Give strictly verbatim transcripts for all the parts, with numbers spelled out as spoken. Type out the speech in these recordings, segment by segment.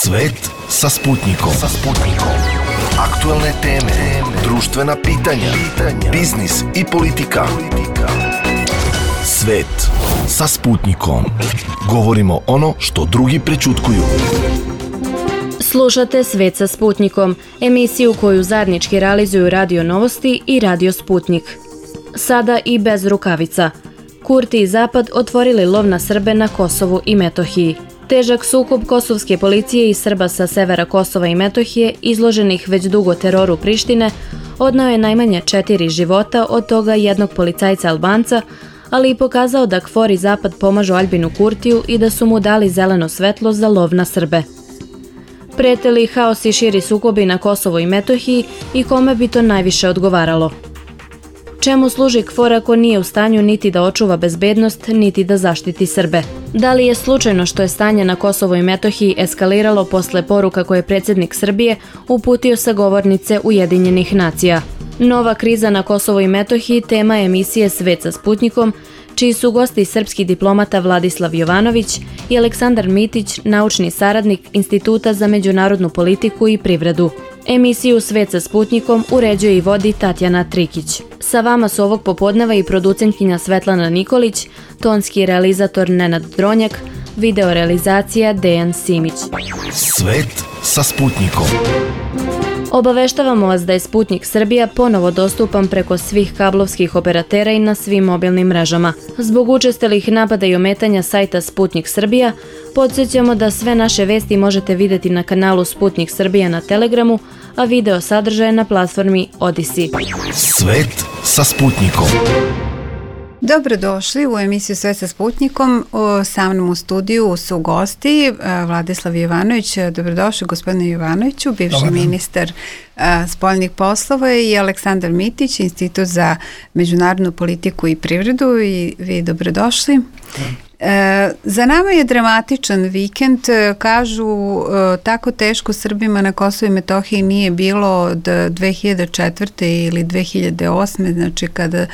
Svet sa Sputnikom. Sa Sputnikom. Aktuelne teme, društvena pitanja, pitanja, biznis i politika. Svet sa Sputnikom. Govorimo ono što drugi prećutkuju. Slušate Svet sa Sputnikom, emisiju koju zajednički realizuju Radio Novosti i Radio Sputnik. Sada i bez rukavica. Kurti i Zapad otvorili lov na Srbe na Kosovu i Metohiji. Težak sukob kosovske policije i Srba sa severa Kosova i Metohije, izloženih već dugo teroru Prištine, odneo je najmanje četiri života, od toga jednog policajca Albanca, ali i pokazao da KFOR i Zapad pomažu Aljbinu Kurtiju i da su mu dali zeleno svetlo za lov na Srbe. Prete li haos i širi sukobi na Kosovu i Metohiji i kome bi to najviše odgovaralo? Čemu služi KFOR ako nije u stanju niti da očuva bezbednost, niti da zaštiti Srbe? Da li je slučajno što je stanje na Kosovu i Metohiji eskaliralo posle poruka koje je predsjednik Srbije uputio sa govornice Ujedinjenih nacija? Nova kriza na Kosovu i Metohiji tema je emisije Svet sa Sputnikom, čiji su gosti srpski diplomata Vladislav Jovanović i Aleksandar Mitić, naučni saradnik Instituta za međunarodnu politiku i privredu. Emisiju Svet sa Sputnikom uređuje i vodi Tatjana Trikić. Sa vama su ovog popodneva i producentkinja Svetlana Nikolić, tonski realizator Nenad Dronjak, videorealizacija Dejan Simić. Svet sa Sputnikom. Obaveštavamo vas da je Sputnik Srbija ponovo dostupan preko svih kablovskih operatera i na svim mobilnim mrežama. Zbog učestalih napada i ometanja sajta Sputnik Srbija, podsjećamo da sve naše vesti možete vidjeti na kanalu Sputnik Srbija na Telegramu, a video sadržaje na platformi Odisi. Svet sa Sputnikom. Dobrodošli u emisiju Sve sa Sputnikom. Sa mnom u studiju su gosti Vladislav Jovanović. Dobrodošli gospodine Jovanoviću, bivši Dobar. ministar spoljnih poslova, i Aleksandar Mitić, Institut za međunarodnu politiku i privredu. I vi dobrodošli. Dobar. E, za nama je dramatičan vikend. Kažu e, tako teško Srbima na Kosovu i Metohiji nije bilo od dve hiljade četvrte ili dve hiljade osme, znači kada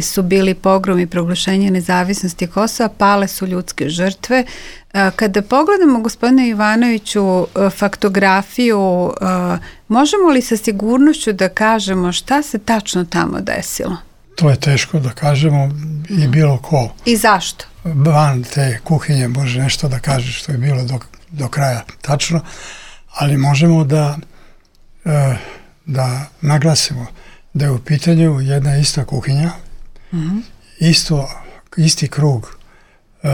su bili pogrom i proglašenje nezavisnosti Kosova, pale su ljudske žrtve. E, kada pogledamo, gospodine Jovanoviću, faktografiju, e, možemo li sa sigurnošću da kažemo šta se tačno tamo desilo? To je teško da kažemo i bilo ko. I zašto? Van te kuhinje može nešto da kaže što je bilo do, do kraja tačno, ali možemo da, da naglasimo da je u pitanju jedna ista kuhinja, mm-hmm. isto, isti krug uh,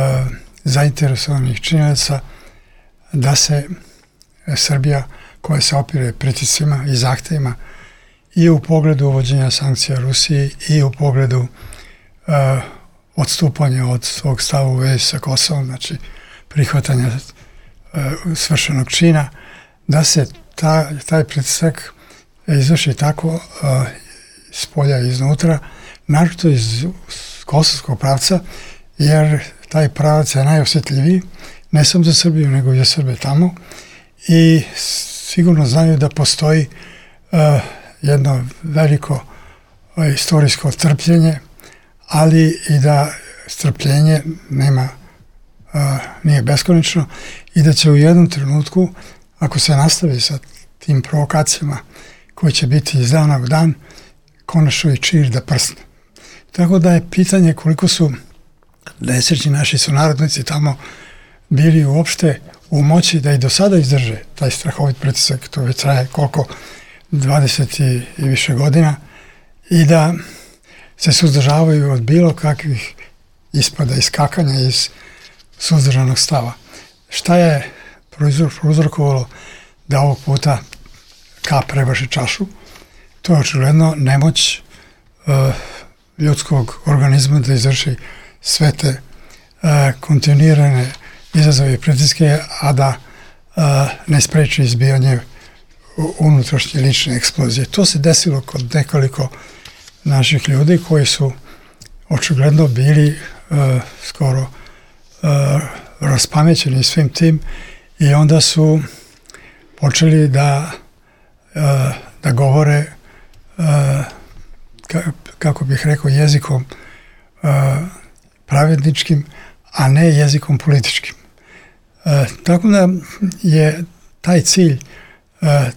zainteresovanih činjenica da se Srbija, koja se opire pritiscima i zahtevima i u pogledu uvođenja sankcija Rusiji i u pogledu uh, odstupanja od svog stava u vezi sa Kosovom, znači prihvatanja uh, svršenog čina, da se ta, taj pritisak izvrši tako uh, s polja i iznutra, naročito iz kosovskog pravca, jer taj pravac je najosjetljiviji, ne samo za Srbiju, nego i za Srbe tamo, i sigurno znaju da postoji uh, jedno veliko uh, istorijsko trpljenje, ali i da strpljenje nema, uh, nije beskonačno i da će u jednom trenutku, ako se nastavi sa tim provokacijama koji će biti iz dana u dan, konačno i čir da prsne. Tako da je pitanje koliko su nesrećni naši sunarodnici tamo bili uopšte u moći da i do sada izdrže taj strahovit pritisak, to već traje koliko, dvadeset i, i više godina, i da se suzdržavaju od bilo kakvih ispada i skakanja iz suzdržanog stava. Šta je prouzrokovalo da ovog puta kap prebaši čašu? To je očigledno nemoć uh, ljudskog organizma da izvrši sve te uh, kontinuirane izazove i pritiske, a da uh, ne spreči izbijanje unutrašnje lične eksplozije. To se desilo kod nekoliko naših ljudi koji su očigledno bili uh, skoro uh, raspamećeni svim tim, i onda su počeli da, uh, da govore uh, ka, kako bih rekao jezikom uh, pravedničkim, a ne jezikom političkim. Uh, tako da je taj cilj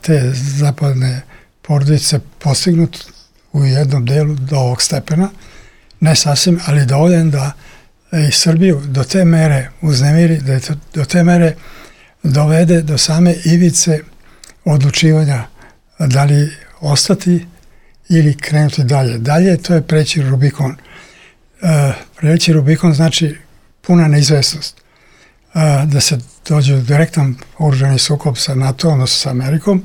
te zapadne porodice postignut u jednom delu do ovog stepena, ne sasvim, ali dovoljan da i Srbiju do te mere uznemiri, da je to, do te mere dovede do same ivice odlučivanja da li ostati ili krenuti dalje. Dalje to je preći Rubikon. E, preći Rubikon znači puna neizvesnost. E, da se dođe u direktan oružani sukob sa NATO, odnosno sa Amerikom,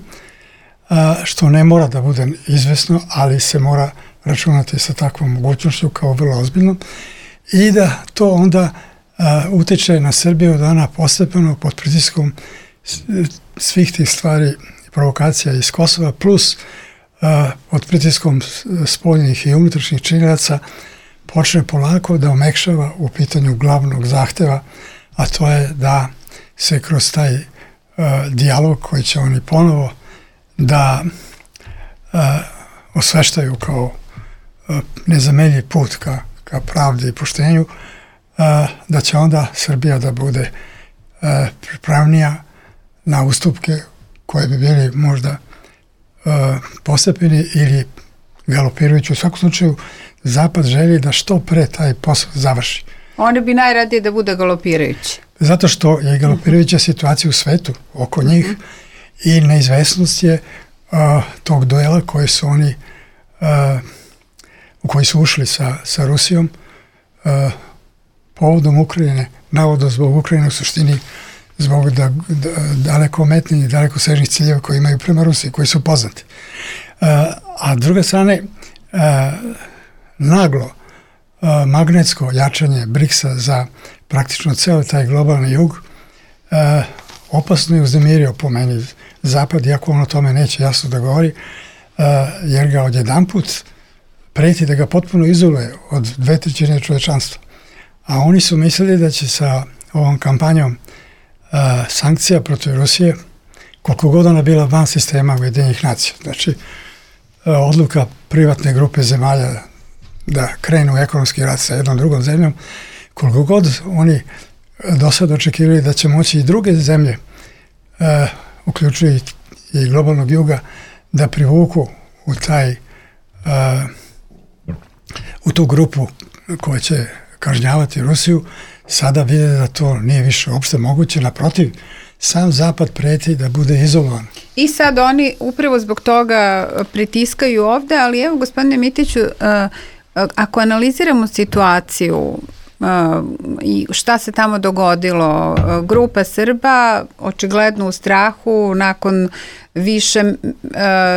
e, što ne mora da bude izvesno, ali se mora računati sa takvom mogućnošću kao vrlo ozbiljnom i da to onda e, utiče na Srbiju da ona postepeno pod pritiskom svih tih stvari, provokacija iz Kosova, plus uh, pod pritiskom spoljnih i unutrašnjih činilaca počne polako da omekšava u pitanju glavnog zahteva, a to je da se kroz taj uh, dijalog koji će oni ponovo da uh, osveštaju kao uh, nezameljiv put ka, ka pravdi i poštenju, uh, da će onda Srbija da bude uh, pripravnija na ustupke koje bi bili možda uh, postepeni ili galopirajući. U svakom slučaju, Zapad želi da što pre taj posao završi. Oni bi najradije da bude galopirajući. Zato što je galopirajuća uh-huh. situacija u svetu oko njih uh-huh. i neizvesnost je uh, tog duela koji su oni uh, u koji su ušli sa, sa Rusijom uh, povodom Ukrajine, navodno zbog Ukrajine, u suštini zbog da, da, daleko metnih i daleko sežnih ciljeva koji imaju prema Rusiji, koji su poznati. Uh, a s druge strane, uh, naglo uh, magnetsko jačanje briksa za praktično ceo taj globalni jug uh, opasno je uznemirio po meni Zapad, iako on o tome neće jasno da govori, uh, jer ga odjedanput preti da ga potpuno izoluje od dve trećine čovečanstva. A oni su mislili da će sa ovom kampanjom Uh, sankcija protiv Rusije, koliko god ona bila van sistema Ujedinjenih nacija. Znači, uh, odluka privatne grupe zemalja da krenu u ekonomski rat sa jednom drugom zemljom, koliko god oni do sada očekivali da će moći i druge zemlje, uh, uključujući i globalnog juga, da privuku u taj uh, u tu grupu koja će kažnjavati Rusiju, sada vide da to nije više uopšte moguće, naprotiv, sam Zapad preti da bude izolovan. I sad oni upravo zbog toga pritiskaju ovde, ali evo, gospodine Mitiću, ako analiziramo situaciju i šta se tamo dogodilo, grupa Srba očigledno u strahu nakon više,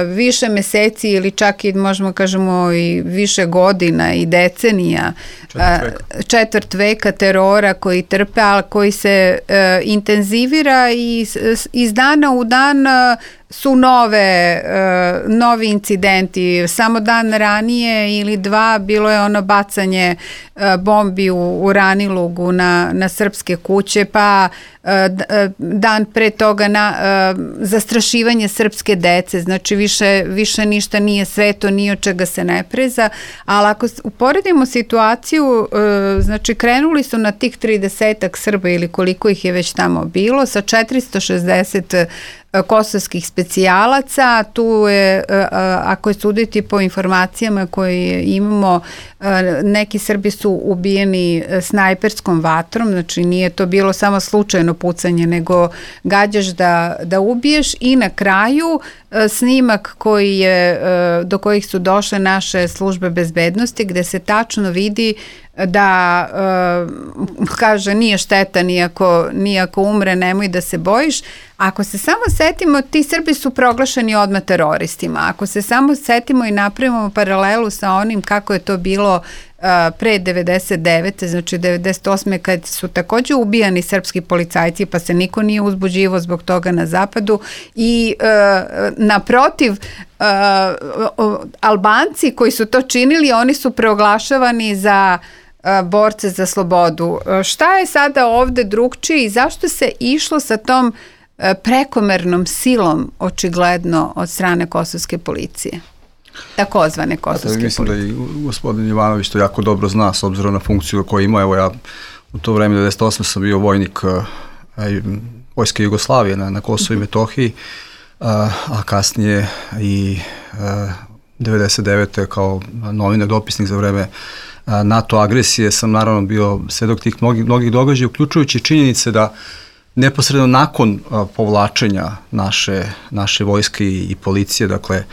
više meseci ili čak i možemo kažemo i više godina i decenija, četvrt veka, četvrt veka terora koji trpe, ali koji se intenzivira i iz dana u dan su nove, novi incidenti. Samo dan ranije ili dva bilo je ono bacanje bombi u, u Ranilugu na, na srpske kuće, pa dan pre toga na zastrašivanje srpske dece, znači više, više ništa nije sveto, ni od čega se ne preza, ali ako uporedimo situaciju, znači krenuli su na tih tridesetak Srba ili koliko ih je već tamo bilo, sa četiristo šezdeset kosovskih specijalaca, tu je, ako je suditi po informacijama koje imamo, neki Srbi su ubijeni snajperskom vatrom, znači nije to bilo samo slučajno pucanje, nego gađaš da, da ubiješ i na kraju snimak koji je, do kojih su došle naše službe bezbednosti, gde se tačno vidi da uh, kaže nije šteta nijako, nijako umre, nemoj da se bojiš. Ako se samo setimo, ti Srbi su proglašeni odmah teroristima. Ako se samo setimo i napravimo paralelu sa onim kako je to bilo uh, pre devedeset devete, znači devedeset osme kad su takođe ubijani srpski policajci, pa se niko nije uzbuđivo zbog toga na zapadu i uh, naprotiv uh, Albanci koji su to činili, oni su proglašavani za borce za slobodu. Šta je sada ovde drugčije i zašto se išlo sa tom prekomernom silom očigledno od strane kosovske policije? Takozvane kosovske Mislim policije. Mislim da i gospodin Jovanović to jako dobro zna s obzirom na funkciju koju ima. Evo ja u to vreme devedeset osme sam bio vojnik vojske Jugoslavije na, na Kosovu i Metohiji, a, a kasnije i a, devedeset devete kao novinar, dopisnik za vreme a, NATO agresije sam naravno bio svedok tih mnogih, mnogih događaja, uključujući činjenice da neposredno nakon a, povlačenja naše, naše vojske i, i policije, dakle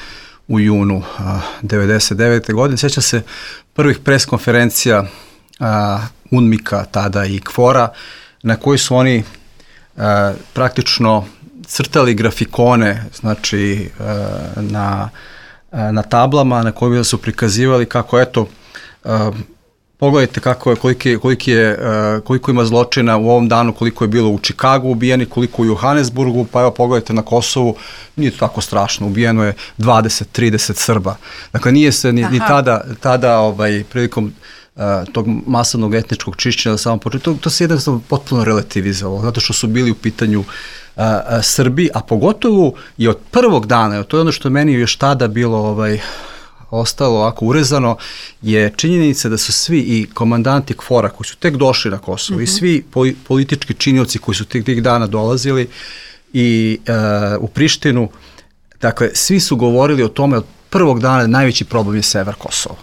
u junu a, devedeset devete godine, sjećam se prvih pres konferencija a, UNMIK-a tada i KFOR-a, na koji su oni a, praktično crtali grafikone, znači a, na, a, na tablama na kojima su prikazivali kako, eto, a, pogledajte kako je, koliki, koliki je, uh, koliko ima zločina u ovom danu, koliko je bilo u Čikagu ubijeni, koliko u Johannesburgu, pa evo pogledajte na Kosovu, nije to tako strašno, ubijeno je dvadeset trideset Srba. Dakle, nije se ni, ni tada, tada ovaj, prilikom uh, tog masovnog etničkog čišćenja na samom početku, to, to se jednostavno potpuno relativizovalo, zato što su bili u pitanju uh, uh, Srbi, a pogotovo i od prvog dana, to je ono što je meni još tada bilo ovaj, ostalo ovako urezano, je činjenica da su svi i komandanti KFOR-a koji su tek došli na Kosovo, mm-hmm, i svi politički činioci koji su tih, tih dana dolazili i uh, u Prištinu, dakle, svi su govorili o tome od prvog dana da najveći problem je sever Kosova.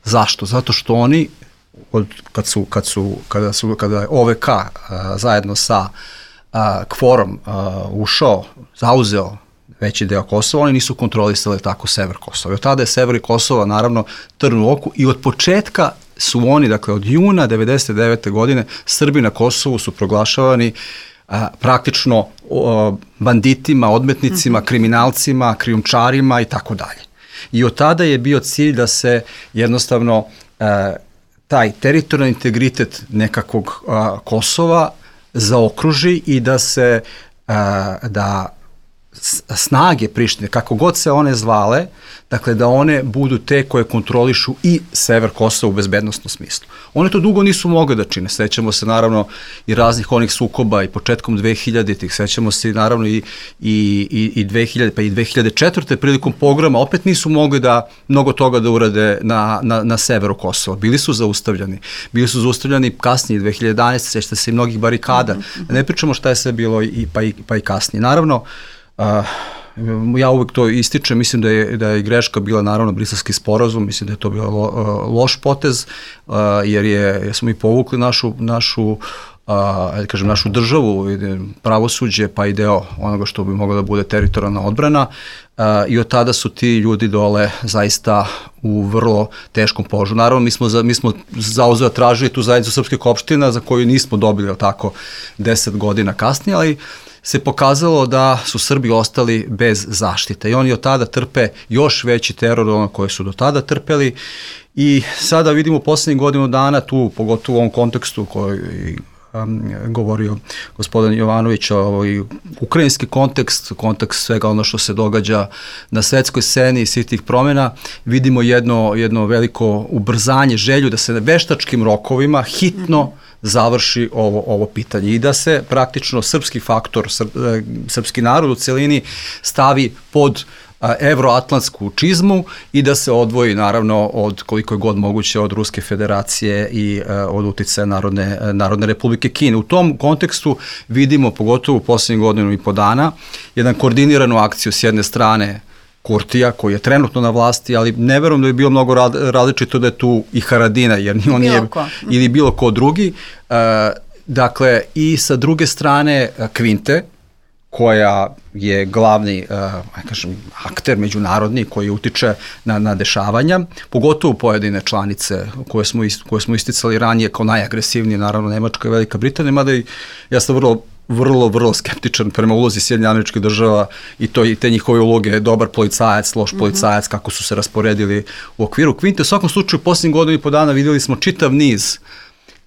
Zašto? Zato što oni, od, kad su, kad su, kada su, kada je O V K uh, zajedno sa uh, KFOR-om uh, ušao, zauzeo veći deo Kosova, oni nisu kontrolisali tako sever Kosova. I od tada je sever Kosova naravno trn u oku i od početka su oni, dakle od juna devedeset devete godine, Srbi na Kosovu su proglašavani a, praktično a, banditima, odmetnicima, kriminalcima, krijumčarima i tako dalje. I od tada je bio cilj da se jednostavno a, taj teritorijalni integritet nekakvog a, Kosova zaokruži i da se a, da snage Prištine, kako god se one zvale, dakle da one budu te koje kontrolišu i sever Kosova u bezbednostnom smislu. One to dugo nisu mogle da čine. Sećamo se naravno i raznih onih sukoba i početkom dvehiljaditih, sećamo se naravno i, i, i, i dve hiljade, pa i dve hiljade četvrte prilikom pogroma opet nisu mogli da mnogo toga da urade na, na, na severu Kosova. Bili su zaustavljani. Bili su zaustavljani kasnije, dve hiljade jedanaeste. Sećate se i mnogih barikada. Mm-hmm. Ne pričamo šta je sve bilo i, pa, i, pa i kasnije. Naravno, Uh, ja uvek to ističem, mislim da je, da je greška bila naravno Briselski sporazum, mislim da je to bio lo, uh, loš potez, uh, jer, je, jer smo mi povukli našu, našu, uh, kažem, našu državu, pravosuđe, pa i deo onoga što bi mogla da bude teritorijalna odbrana, uh, i od tada su ti ljudi dole zaista u vrlo teškom položaju. Naravno, mi smo, za, mi smo zauzeo tražili tu zajednicu srpskih opština za koju nismo dobili tako deset godina kasnije, ali se pokazalo da su Srbi ostali bez zaštite i oni od tada trpe još veći teror od ono koje su do tada trpeli i sada vidimo u poslednjih godinu dana tu, pogotovo u ovom kontekstu koji um, govorio gospodin Jovanović, ovaj, ukrajinski kontekst, kontekst svega ono što se događa na svetskoj sceni i svih tih promjena, vidimo jedno, jedno veliko ubrzanje, želju da se na veštačkim rokovima hitno mm-hmm. završi ovo, ovo pitanje i da se praktično srpski faktor, srpski narod u celini stavi pod evroatlantsku čizmu i da se odvoji naravno od koliko je god moguće od Ruske federacije i od uticaja Narodne, Narodne republike Kine. U tom kontekstu vidimo, pogotovo u posljednjih godinu i po dana, jedan koordiniranu akciju s jedne strane Kurtija, koji je trenutno na vlasti, ali ne verujem da je bilo mnogo različito da je tu i Haradina, jer on nije, ili bilo ko drugi. Uh, dakle, i sa druge strane Kvinte, koja je glavni uh, kažem, akter međunarodni koji utiče na, na dešavanja, pogotovo pojedine članice koje smo, ist, koje smo isticali ranije kao najagresivnije, naravno Nemačka i Velika Britanija, mada i ja sam vrlo vrlo, vrlo skeptičan prema ulozi Sjedinjenih Američkih Država i to i te njihove uloge, dobar policajac, loš policajac, mm-hmm. kako su se rasporedili u okviru Kvinte. U svakom slučaju, posljednjih godinu i po dana vidjeli smo čitav niz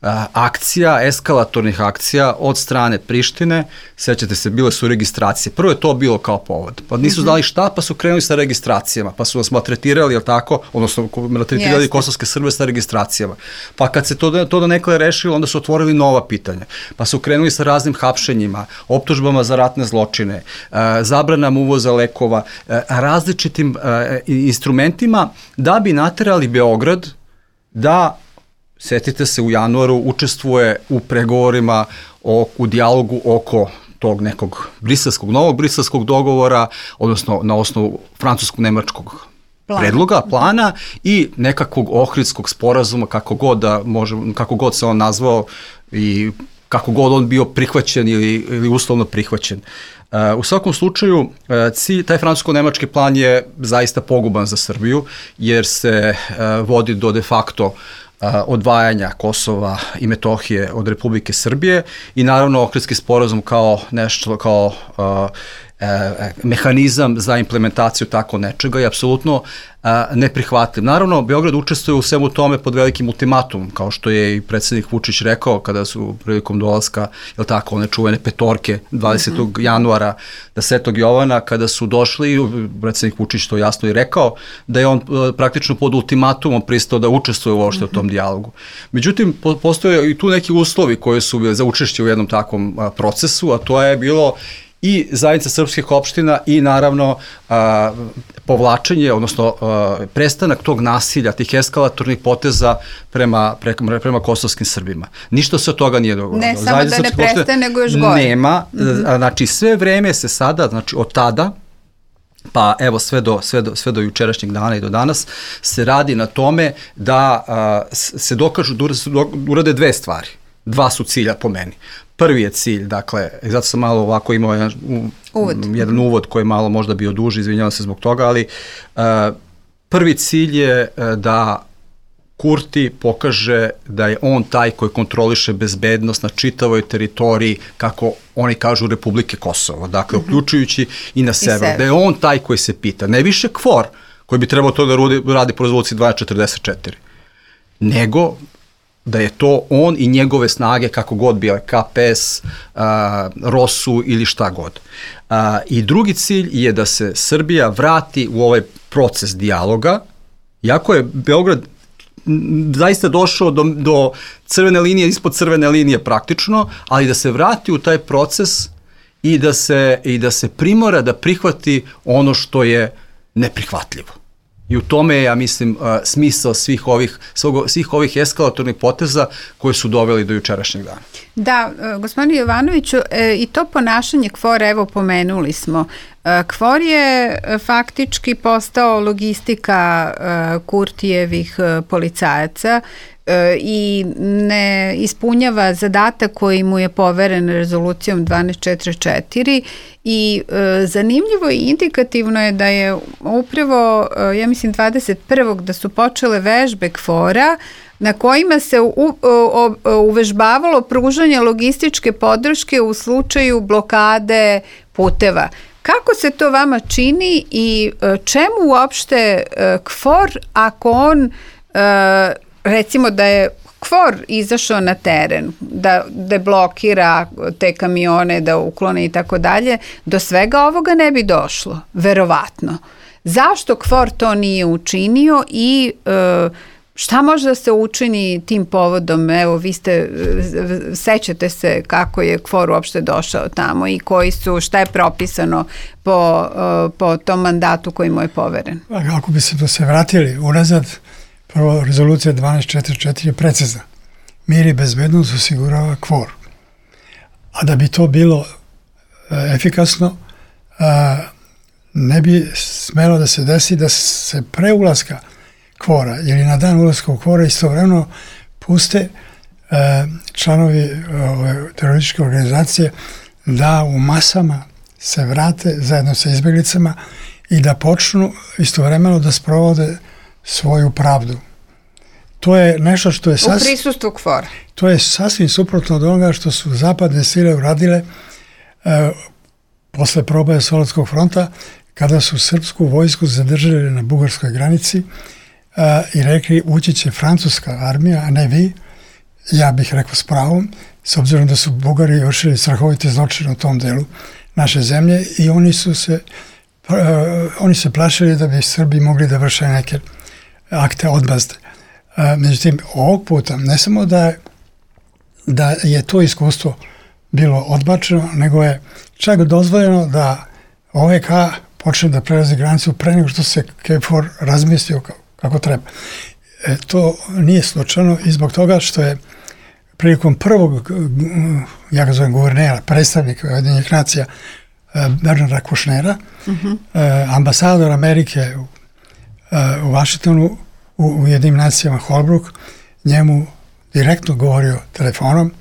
a, akcija, eskalatornih akcija od strane Prištine. Sećate se, bile su registracije. Prvo je to bilo kao povod. Pa nisu znali šta, pa su krenuli sa registracijama, pa su nas maltretirali, jel tako, odnosno maltretirali kosovske Srbe sa registracijama. Pa kad se to, to da nekada rešilo, onda su otvorili nova pitanja. Pa su krenuli sa raznim hapšenjima, optužbama za ratne zločine, zabranama uvoza lekova, različitim instrumentima da bi naterali Beograd da, setite se, u januaru učestvuje u pregovorima o, u dijalogu oko tog nekog briselskog, novog briselskog dogovora, odnosno na osnovu francusko-nemačkog Plan. predloga, plana i nekakvog ohridskog sporazuma, kako god, da može, kako god se on nazvao i kako god on bio prihvaćen ili, ili uslovno prihvaćen. Uh, u svakom slučaju, uh, cilj, taj francusko-nemački plan je zaista poguban za Srbiju, jer se uh, vodi do de facto uh, odvajanja Kosova i Metohije od Republike Srbije i naravno Ohridski sporazum kao nešto, kao uh, E, mehanizam za implementaciju tako nečega je apsolutno e, neprihvatljiv. Naravno, Beograd učestvuje u svemu tome pod velikim ultimatumom, kao što je i predsjednik Vučić rekao kada su prilikom dolaska, jel tako, one čuvene petorke dvadesetog Mm-hmm. januara da Svetog Jovana, kada su došli, predsjednik Vučić to jasno i rekao, da je on e, praktično pod ultimatumom pristao da učestvuje uopšte mm-hmm. u tom dijalogu. Međutim, po, postoje i tu neki uslovi koji su bili za učešće u jednom takvom a, procesu, a to je bilo i zajednica srpskih opština i naravno a, povlačenje, odnosno a, prestanak tog nasilja, tih eskalatornih poteza prema, prema, prema kosovskim Srbima. Ništa se od toga nije dogodilo. Ne samo da ne prestaje, nego još gore. Nema, mm-hmm. znači sve vreme se sada, znači od tada, pa evo sve do, sve, do, sve do jučerašnjeg dana i do danas, se radi na tome da a, se dokažu, da urade dve stvari. Dva su cilja po meni. Prvi je cilj, dakle, zato sam malo ovako imao jedan uvod, jedan uvod koji je malo možda bio duži, izvinjavam se zbog toga, ali uh, prvi cilj je uh, da Kurti pokaže da je on taj koji kontroliše bezbednost na čitavoj teritoriji, kako oni kažu, Republike Kosovo, dakle, mm-hmm. uključujući i na sever, I da je on taj koji se pita, ne više KFOR, koji bi trebao to da radi, radi po rezoluciji dvanaest četrdeset četiri, nego da je to on i njegove snage, kako god bio, K P S, uh, Rosu ili šta god. Uh, I drugi cilj je da se Srbija vrati u ovaj proces dijaloga, iako je Beograd zaista došao do, do crvene linije, ispod crvene linije praktično, ali da se vrati u taj proces i da se, i da se primora da prihvati ono što je neprihvatljivo. I u tome je, ja mislim, smisao svih ovih, svih ovih eskalatornih poteza koji su doveli do jučerašnjeg dana. Da, gospodine Jovanoviću, i to ponašanje KFOR-a, evo pomenuli smo, KFOR je faktički postao logistika Kurtijevih policajaca i ne ispunjava zadatak koji mu je poveren rezolucijom dvanaest četrdeset četiri i e, zanimljivo i indikativno je da je upravo, e, ja mislim dvadeset prvog da su počele vežbe KFOR-a na kojima se u, u, u, uvežbavalo pružanje logističke podrške u slučaju blokade puteva. Kako se to vama čini i e, čemu uopšte e, KFOR ako on e, recimo da je KFOR izašao na teren, da deblokira te kamione, da uklone i tako dalje, do svega ovoga ne bi došlo, verovatno. Zašto KFOR to nije učinio i e, šta može da se učini tim povodom? Evo, vi ste, sećate se kako je KFOR uopšte došao tamo i koji su, šta je propisano po, po tom mandatu koji mu je poveren? Ako bi se to se vratili unazad, prvo, rezolucija dvanaest četrdeset četiri je precizna. Mir i bezbednost osigurava KFOR. A da bi to bilo e, efikasno, e, ne bi smelo da se desi da se pre ulaska KFOR-a ili na dan ulaska u KFOR-a istovremeno puste e, članovi ove terorističke organizacije da u masama se vrate zajedno sa izbjeglicama i da počnu istovremeno da sprovode svoju pravdu. To je nešto što je sasvim... U prisustvu KFOR-a. To je sasvim suprotno od onoga što su zapadne sile uradile e, posle proboja Solunskog fronta, kada su srpsku vojsku zadržali na bugarskoj granici e, i rekli ući će francuska armija, a ne vi. Ja bih rekao s pravom, s obzirom da su Bugari vršili strahovite zločine u tom delu naše zemlje i oni su se, e, oni se plašili da bi Srbi mogli da vrše neke akte odmazde. Međutim, ovog puta ne samo da je, da je to iskustvo bilo odbačeno, nego je čak dozvoljeno da O V K počne da prelazi granicu pre nego što se KFOR razmislio kako treba. E, to nije slučajno i zbog toga što je prilikom prvog, ja ga zovem guvernera, predstavnika Ujedinjenih nacija, Bernarda Kušnera, uh-huh. ambasador Amerike u, u Vašingtonu, u Ujedinjenim nacijama Holbrook, njemu direktno govorio telefonom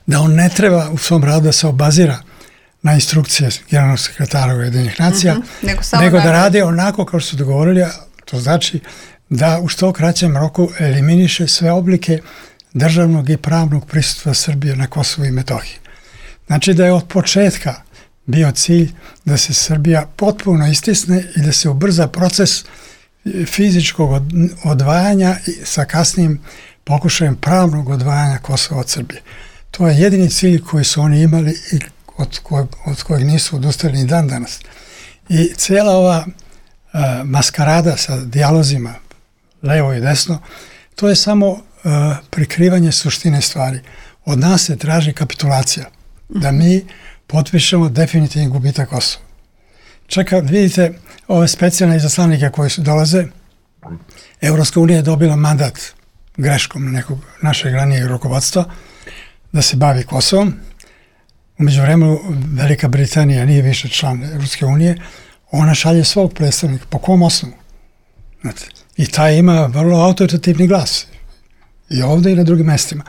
da on ne treba u svom radu da se obazira na instrukcije generalnog sekretara Ujedinjenih nacija, uh-huh. nego, nego da radi onako kao što su dogovorili, to znači da u što kraćem roku eliminiše sve oblike državnog i pravnog prisustva Srbije na Kosovu i Metohiji. Znači da je od početka bio cilj da se Srbija potpuno istisne i da se ubrza proces fizičkog odvajanja sa kasnijim pokušajem pravnog odvajanja Kosova od Srbije. To je jedini cilj koji su oni imali i od kojeg, od kojeg nisu odustali ni dan danas. I cijela ova uh, maskarada sa dijalozima levo i desno, to je samo uh, prikrivanje suštine stvari. Od nas se traži kapitulacija, da mi potpišemo definitivni gubitak Kosova. Čeka, vidite, ove specijalne izaslanike koji su dolaze, Evropska unija je dobila mandat greškom nekog našeg ranijeg rukovodstva da se bavi Kosovom. U međuvremenu Velika Britanija nije više član Evropske unije, ona šalje svog predstavnika. Po kom osnovu? Znate, i taj ima vrlo autoritativni glas. I ovdje i na drugim mestima.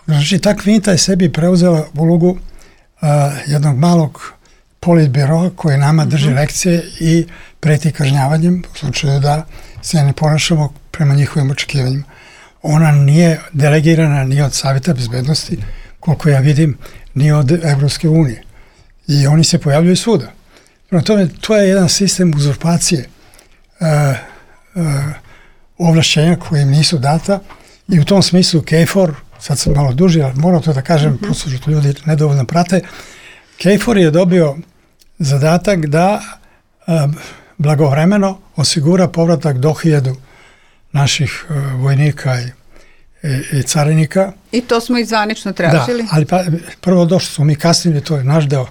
Znači, ta kvinta je sebi preuzela ulogu uh, jednog malog politbiroa koji nama drži mm-hmm. lekcije i preti kažnjavanjem u slučaju da se ne ponašamo prema njihovim očekivanjima. Ona nije delegirana ni od Savjeta bezbednosti, koliko ja vidim, ni od Evropske unije. I oni se pojavljaju svuda. Prema tome, to je jedan sistem uzurpacije uh, uh, ovlašćenja koje im nisu data i u tom smislu KFOR, sad sam malo duži, ali moram to da kažem, mm-hmm. prosto što ljudi nedovoljno prate, KFOR je dobio zadatak da uh, blagovremeno osigura povratak do hiljadu naših uh, vojnika i, i, i carinika. I to smo i zvanično tražili. Da, ali pa, prvo došli smo mi kasnili, to je naš deo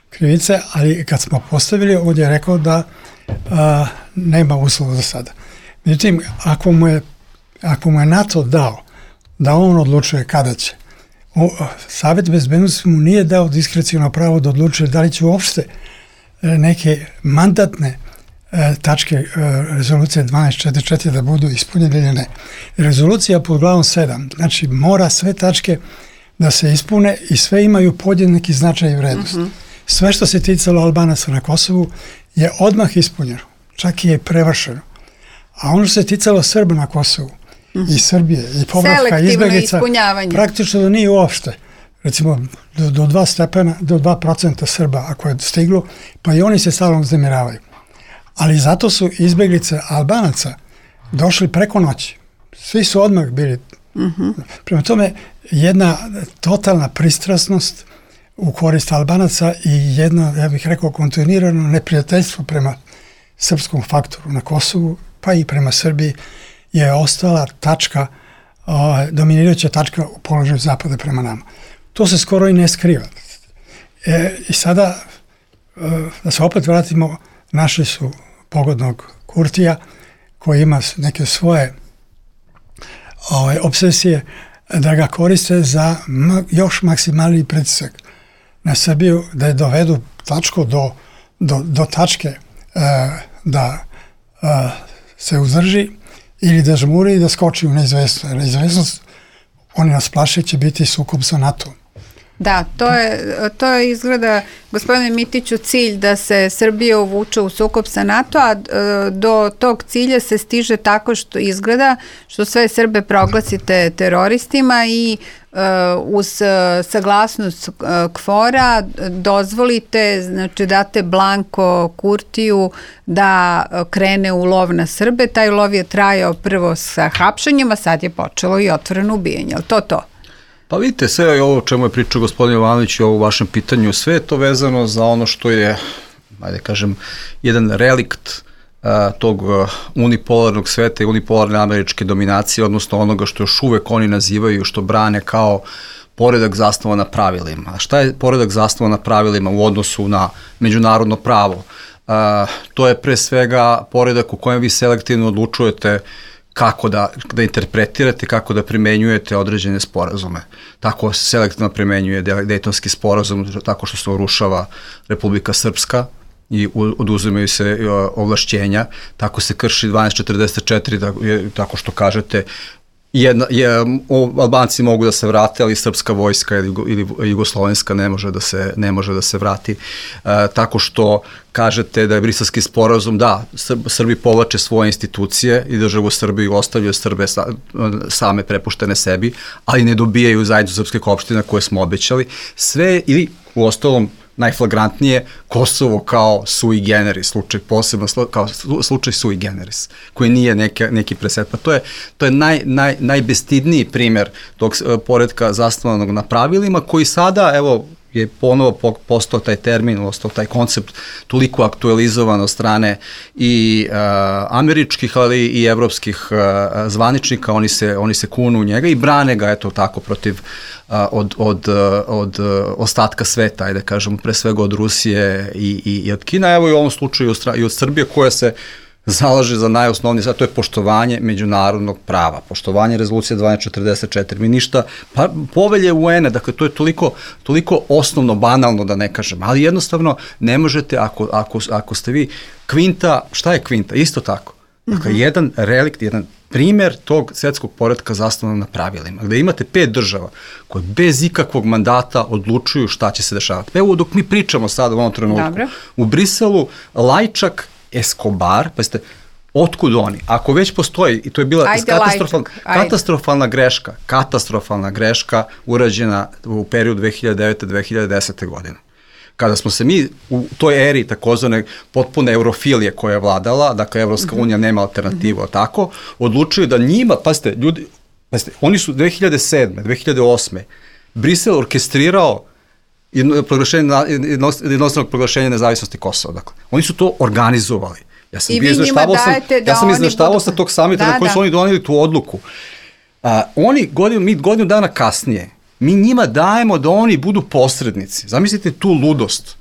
krivice, ali kad smo postavili, ovdje je rekao da uh, nema uslova za sada. Međutim, ako mu je, ako mu je NATO dao da on odlučuje kada će, o, Savjet bezbednosti mu nije dao diskrecijalno pravo da odlučuje da li će uopšte neke mandatne e, tačke e, rezolucije dvanaest četrdeset četiri da budu ispunjene ili ne. Rezolucija pod glavom sedam, znači mora sve tačke da se ispune i sve imaju podjednaki značaj i vrednost. Mm-hmm. Sve što se ticalo Albanaca na Kosovu je odmah ispunjeno, čak i je prevršeno. A ono što se ticalo Srba na Kosovu mm-hmm. i Srbije i povratka izbjeglica, praktično nije uopšte. Recimo do, do dva stepena, do dva procenta Srba ako je stiglo, pa i oni se stalno uznemiravaju. Ali zato su izbjeglice Albanaca došli preko noći. Svi su odmah bili. Mm-hmm. Prema tome, jedna totalna pristrasnost u korist Albanaca i jedno, ja bih rekao, kontinuirano neprijateljstvo prema srpskom faktoru na Kosovu, pa i prema Srbiji, je ostala tačka, o, dominirajuća tačka u položaju Zapada prema nama. To se skoro i ne skriva. E, I sada, e, da se opet vratimo, našli su pogodnog Kurtija koji ima neke svoje ove, obsesije da ga koriste za m- još maksimalni pritisak na Srbiju, da je dovedu tačku do, do, do tačke e, da e, se uzdrži ili da žmuri i da skoči u neizvestnost. Neizvestnost, oni nas plaše, će biti sukob sa NATO. Da, to je, to je izgleda, gospodine Mitiću, cilj da se Srbija uvuče u sukob sa NATO, a do tog cilja se stiže tako što izgleda što sve Srbe proglasite teroristima i uh, uz saglasnost uh, KFOR-a dozvolite, znači date blanko Kurtiju da krene u lov na Srbe. Taj lov je trajao prvo sa hapšanjem, a sad je počelo i otvoreno ubijanje. Ali to to? Pa vidite, sve ovo o čemu je pričao gospodin Jovanović i ovo u vašem pitanju, sve je to vezano za ono što je, ajde kažem, jedan relikt uh, tog uh, unipolarnog sveta i unipolarne američke dominacije, odnosno onoga što još uvek oni nazivaju, što brane kao poredak zasnovan na pravilima. A šta je poredak zasnovan na pravilima u odnosu na međunarodno pravo? Uh, to je pre svega poredak u kojem vi selektivno odlučujete kako da, da interpretirate, kako da primenjujete određene sporazume. Tako se selektivno primenjuje Dejtonski sporazum, tako što se urušava Republika Srpska i oduzimaju se ovlašćenja, tako se krši dvanaest četrdeset četiri, tako što kažete Jedna, je, Albanci mogu da se vrate, ali srpska vojska ili, ili jugoslovenska ne može da se, ne može da se vrati. E, tako što kažete da je Briselski sporazum, da, Srb, Srbi povlače svoje institucije i državu Srbiju ostavljaju Srbe sa, same prepuštene sebi, ali ne dobijaju zajednicu srpskih opština koje smo obećali. Sve, ili u ostalom, najflagrantnije, Kosovo kao sui generis, slučaj posebno kao slučaj sui generis, koji nije neke, neki preset. Pa to je, to je naj, naj, najbestidniji primer tog poretka zasnovanog na pravilima, koji sada, evo, je ponovo postao taj termin, ostao taj koncept toliko aktualizovan od strane i uh, američkih, ali i evropskih uh, zvaničnika, oni se, oni se kunu u njega i brane ga, eto tako, protiv uh, od, od, uh, od uh, ostatka sveta, ajde kažemo, pre svega od Rusije i, i, i od Kina, evo i u ovom slučaju i od Srbije, koja se zalaže za najosnovnije, sad to je poštovanje međunarodnog prava, poštovanje rezolucije dvanaest četrdeset četiri, mi ništa, pa povelje U N-a, dakle to je toliko, toliko osnovno, banalno da ne kažem, ali jednostavno ne možete, ako, ako, ako ste vi kvinta, šta je kvinta? Isto tako. Dakle, mm-hmm. jedan relikt, jedan primer tog svetskog poretka zasnovanog na pravilima, gde imate pet država koje bez ikakvog mandata odlučuju šta će se dešavati. Evo dok mi pričamo sada u ovom trenutku, Dobre. U Briselu Lajčak, Escobar, pa ste, otkud oni? Ako već postoji, i to je bila ajde, katastrofalna, katastrofalna greška, katastrofalna greška urađena u periodu dve hiljade devete do dve hiljade desete. godine. Kada smo se mi u toj eri takozvane potpune eurofilije koja je vladala, dakle Evropska unija nema alternativu, mm-hmm. tako, odlučuju da njima, pazite, ljudi, pazite, oni su dve hiljade sedme, dve hiljade osme Brisel orkestrirao jednostavnog proglašenja nezavisnosti Kosova. Dakle, oni su to organizovali. Ja sam bio izveštavao sam, ja sam izveštavao sa tog samita da, na koji su da. oni donijeli tu odluku. A, oni godinu, mi godinu dana kasnije, mi njima dajemo da oni budu posrednici. Zamislite tu ludost.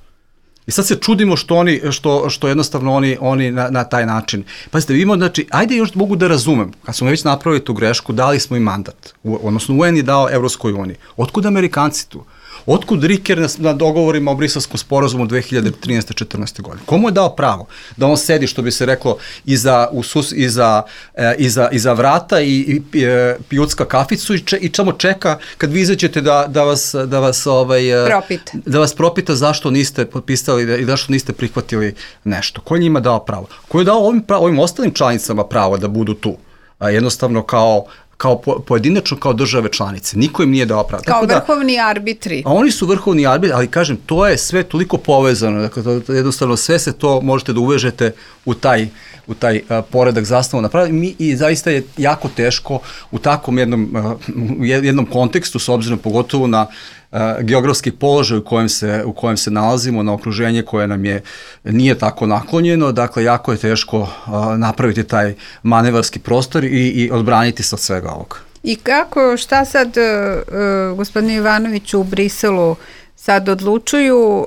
I sad se čudimo što oni, što, što jednostavno oni, oni na, na taj način. Pazite, vidimo, znači, ajde još mogu da razumem, kad smo već napravili tu grešku, dali smo im mandat, u, odnosno U N je dao Evropskoj uniji. Otkud Amerikanci tu? Otkud Riker na, na dogovorima o Briselskom sporazumu dve hiljade trinaeste četrnaeste. godine? Komu je dao pravo da on sedi, što bi se reklo, iza, usus, iza, e, iza, iza vrata i, i e, pijucka kaficu i, če, i samo čeka kad vi izađete da, da vas, da vas, ovaj, propita. da vas propita zašto niste potpisali i zašto niste prihvatili nešto? Ko je njima dao pravo? Ko je dao ovim, pravo, ovim ostalim članicama pravo da budu tu? A jednostavno kao kao po, pojedinačno kao države članice. Niko im nije dao pravo. Kao Tako vrhovni da, arbitri. A oni su vrhovni arbitri, ali kažem, to je sve toliko povezano. Dakle, to, jednostavno sve se to možete da uvežete u taj, u taj a, poredak zasnovan na pravi. Mi, i zaista je jako teško u takvom jednom, a, jednom kontekstu, s obzirom pogotovo na Uh, geografski položaj u kojem se u kojem se nalazimo, na okruženje koje nam je nije tako naklonjeno, dakle jako je teško uh, napraviti taj manevarski prostor i, i odbraniti se od svega ovoga. I kako, šta sad uh, gospodine Ivanoviću u Briselu sad odlučuju uh,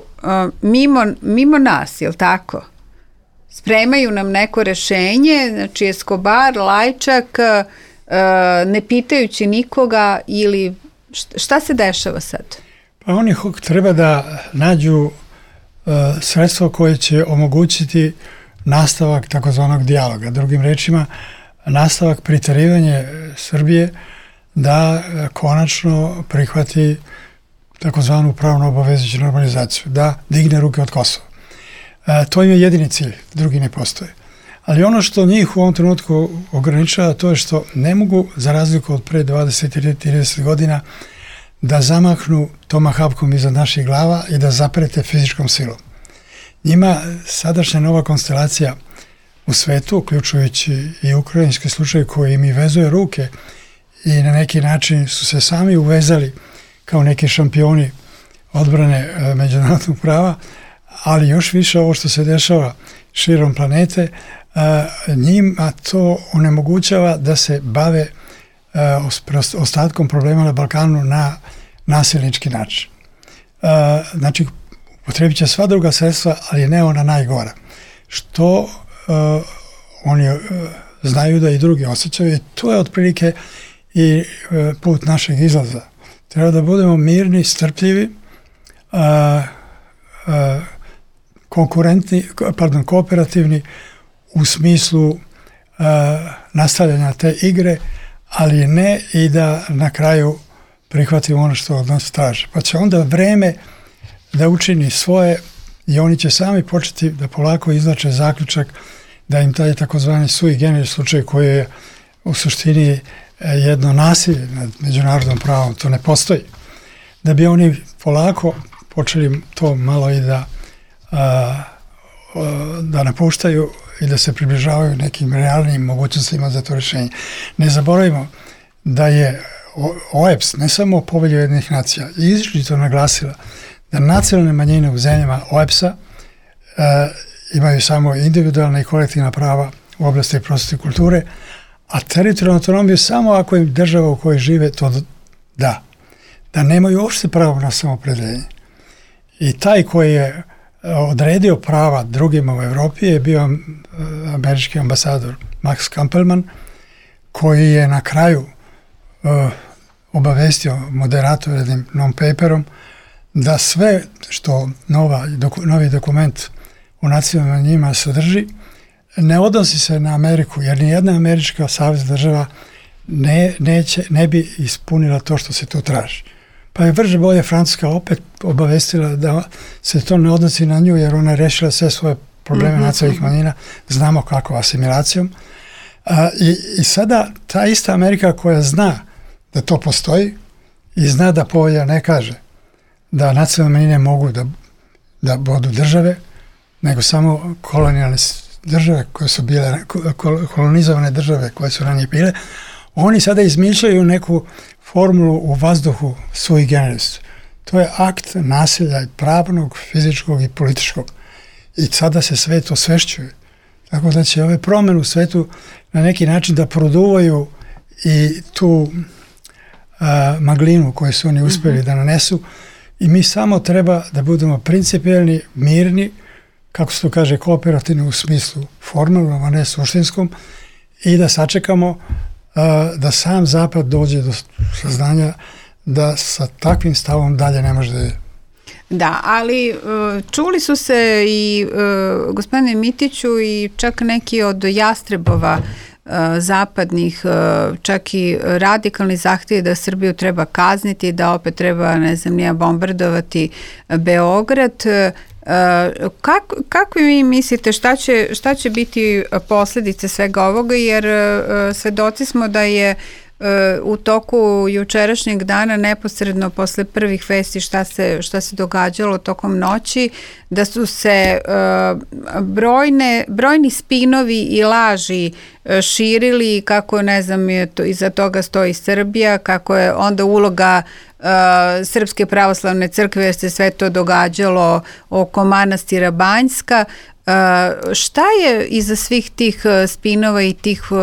mimo, mimo nas, je li tako? Spremaju nam neko rešenje, znači Escobar, Lajčak, uh, ne pitajući nikoga ili šta se dešava sad? Pa oni treba da nađu uh, sredstvo koje će omogućiti nastavak takozvanog dijaloga. Drugim rečima, nastavak pritarivanja Srbije da uh, konačno prihvati takozvanu pravno obavezujuću normalizaciju, da digne ruke od Kosova. Uh, to im je jedini cilj, drugi ne postoje. Ali ono što njih u ovom trenutku ograničava, to je što ne mogu, za razliku od pre dvadeset ili trideset godina, da zamahnu tomahawkom iza naših glava i da zaprete fizičkom silom. Njima sadašnja nova konstelacija u svetu, uključujući i ukrajinski slučaj koji im i vezuje ruke i na neki način su se sami uvezali kao neki šampioni odbrane međunarodnog prava, ali još više ovo što se dešava širom planete, njima to onemogućava da se bave ostatkom problema na Balkanu na nasilnički način. Znači, upotrebit će sva druga sredstva, ali ne ona najgora. Što oni znaju da i drugi osjećaju i to je otprilike i put našeg izlaza. Treba da budemo mirni, strpljivi, a, a, konkurentni, pardon, kooperativni u smislu a, nastavljanja te igre, ali ne i da na kraju prihvatimo ono što od nas traže. Pa će onda vreme da učini svoje i oni će sami početi da polako izlače zaključak da im taj takozvani sui generis slučaj koji je u suštini jedno nasilje nad međunarodnom pravom, to ne postoji. Da bi oni polako počeli to malo i da a, a, da napuštaju i da se približavaju nekim realnim mogućnostima za to rješenje. Ne zaboravimo da je O E B S, ne samo Povelja Ujedinjenih nacija, izričito naglasila da nacionalne manjine u zemljama O E B S-a e, imaju samo individualna i kolektivna prava u oblasti prosvete i kulture, a teritorijalnu autonomiju samo ako im država u kojoj žive to da. Da nemaju uopšte pravo na samoopredjeljenje. I taj koji je odredio prava drugima u Evropi je bio američki ambasador Max Kampelman, koji je na kraju uh, obavestio moderator jednim non-paperom da sve što nova, doku, novi dokument u nacionalnim manjinama sadrži ne odnosi se na Ameriku, jer nijedna američka savezna država ne, neće, ne bi ispunila to što se tu traži. Pa je brže bolje Francuska opet obavestila da se to ne odnosi na nju, jer ona je rešila sve svoje probleme mm-hmm. nacionalnih manjina, znamo kako, asimilacijom. A, i, I sada ta ista Amerika koja zna da to postoji i zna da Povelja ne kaže da nacionalne manjine mogu da, da budu države, nego samo kolonijalne države koje su bile, kolonizovane države koje su ranije bile, oni sada izmišljaju neku formulu u vazduhu sui generis. To je akt nasilja pravnog, fizičkog i političkog. I sada se sve to svešćuje. Tako da će ove promjene u svetu na neki način da produvaju i tu a, maglinu koju su oni uspjeli mm-hmm. da nanesu. I mi samo treba da budemo principijelni, mirni, kako se to kaže, kooperativni u smislu formalnom, a ne suštinskom, i da sačekamo uh, da sam Zapad dođe do saznanja da sa takvim stavom dalje ne može da je. Da, ali uh, čuli su se i uh, gospodine Mitiću i čak neki od jastrebova uh, zapadnih, uh, čak i radikalni zahtjevi da Srbiju treba kazniti, da opet treba, ne znam, nija bombardovati Beograd. Uh, kako, kako vi mislite šta će, šta će biti posljedice svega ovoga, jer uh, svedoci smo da je uh, u toku jučerašnjeg dana neposredno posle prvih vesti šta se, šta se događalo tokom noći, da su se uh, brojne, brojni spinovi i laži uh, širili, kako, ne znam, je to, iza toga stoji Srbija, kako je onda uloga Uh, Srpske pravoslavne crkve, jer se sve to događalo oko manastira Banjska. Uh, šta je iza svih tih uh, spinova i tih uh,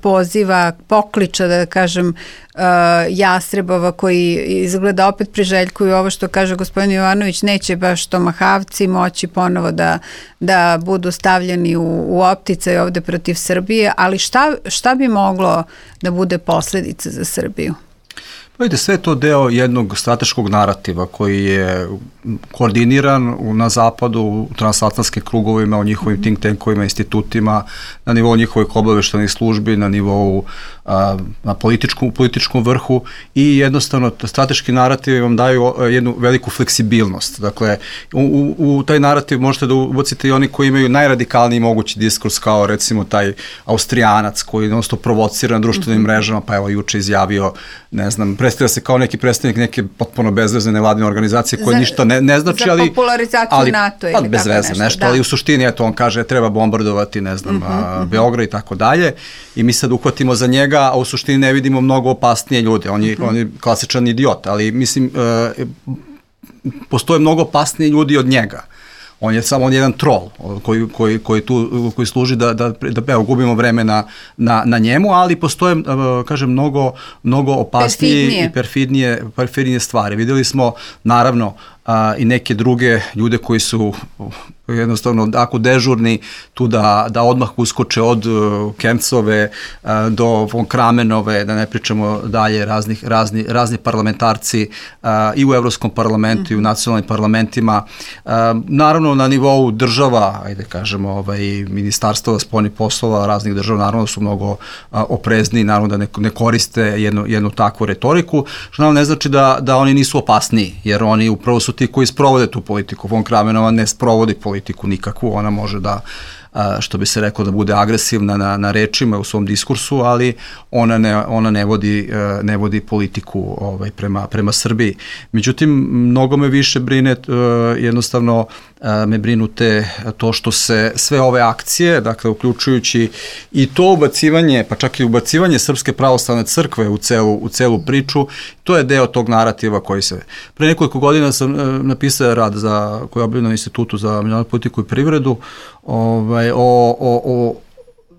poziva, pokliča, da kažem, uh, jastrebova koji izgleda opet priželjkuju ovo što kaže gospodin Jovanović, neće baš tomahavci moći ponovo da, da budu stavljeni u, u opticaj ovde protiv Srbije, ali šta, šta bi moglo da bude posljedica za Srbiju? Vidite, sve je to deo jednog strateškog narativa koji je koordiniran na zapadu, u transatlantskim krugovima, u njihovim think tankovima, institutima, na nivou njihovih obaveštajnih službi, na nivou a, na političkom, političkom vrhu, i jednostavno strateški narativi vam daju jednu veliku fleksibilnost. Dakle, u, u, u taj narativ možete da ubacite i oni koji imaju najradikalniji mogući diskurs, kao recimo taj Austrijanac koji non stop provocira na društvenim mrežama, pa evo juče izjavio, ne znam, predstavlja se kao neki predstavnik neke potpuno bezvezne nevladine organizacije koje za, ništa ne, ne znači, za ali... Za popularizaciju ali, NATO ili bez veze, nešto, nešto da. Ali u suštini, eto, on kaže treba bombardovati, ne znam, uh-huh, a, Beograd i tako dalje, i mi sad uhvatimo za njega, a u suštini ne vidimo mnogo opasnije ljude, on je, uh-huh. on je klasičan idiot, ali mislim, e, postoje mnogo opasniji ljudi od njega. On je samo on jedan trol koji, koji, koji, tu, koji služi da, da, da evo, gubimo vreme na, na, na njemu, ali postoje, kažem, mnogo, mnogo opasnije perfidnije. i perfidnije, perfidnije stvari. Vidjeli smo, naravno, a, i neke druge ljude koji su jednostavno ako dežurni tu da, da odmah uskoče od uh, Kemcove uh, do von Kramenove, da ne pričamo dalje, raznih, razni, razni parlamentarci uh, i u Evropskom parlamentu mm. i u nacionalnim parlamentima. Uh, naravno na nivou država, ajde kažemo, ovaj, ministarstva spoljnih poslova raznih država, naravno su mnogo uh, oprezni, naravno da ne, ne koriste jednu, jednu takvu retoriku, što naravno ne znači da, da oni nisu opasniji, jer oni upravo su ti koji sprovode tu politiku. Von Kramenova ne sprovodi politiku politiku nikakvu, ona može da, što bi se reklo, da bude agresivna na, na rečima u svom diskursu, ali ona ne, ona ne vodi, ne vodi politiku ovaj, prema, prema Srbiji. Međutim, mnogo me više brine, jednostavno me brinute to što se sve ove akcije, dakle, uključujući i to ubacivanje, pa čak i ubacivanje Srpske pravoslavne crkve u celu, u celu priču, to je deo tog narativa koji se... Pre nekoliko godina sam napisao rad za, koji je objavljen na Institutu za međunarodnu politiku i privredu, ovaj, o, o, o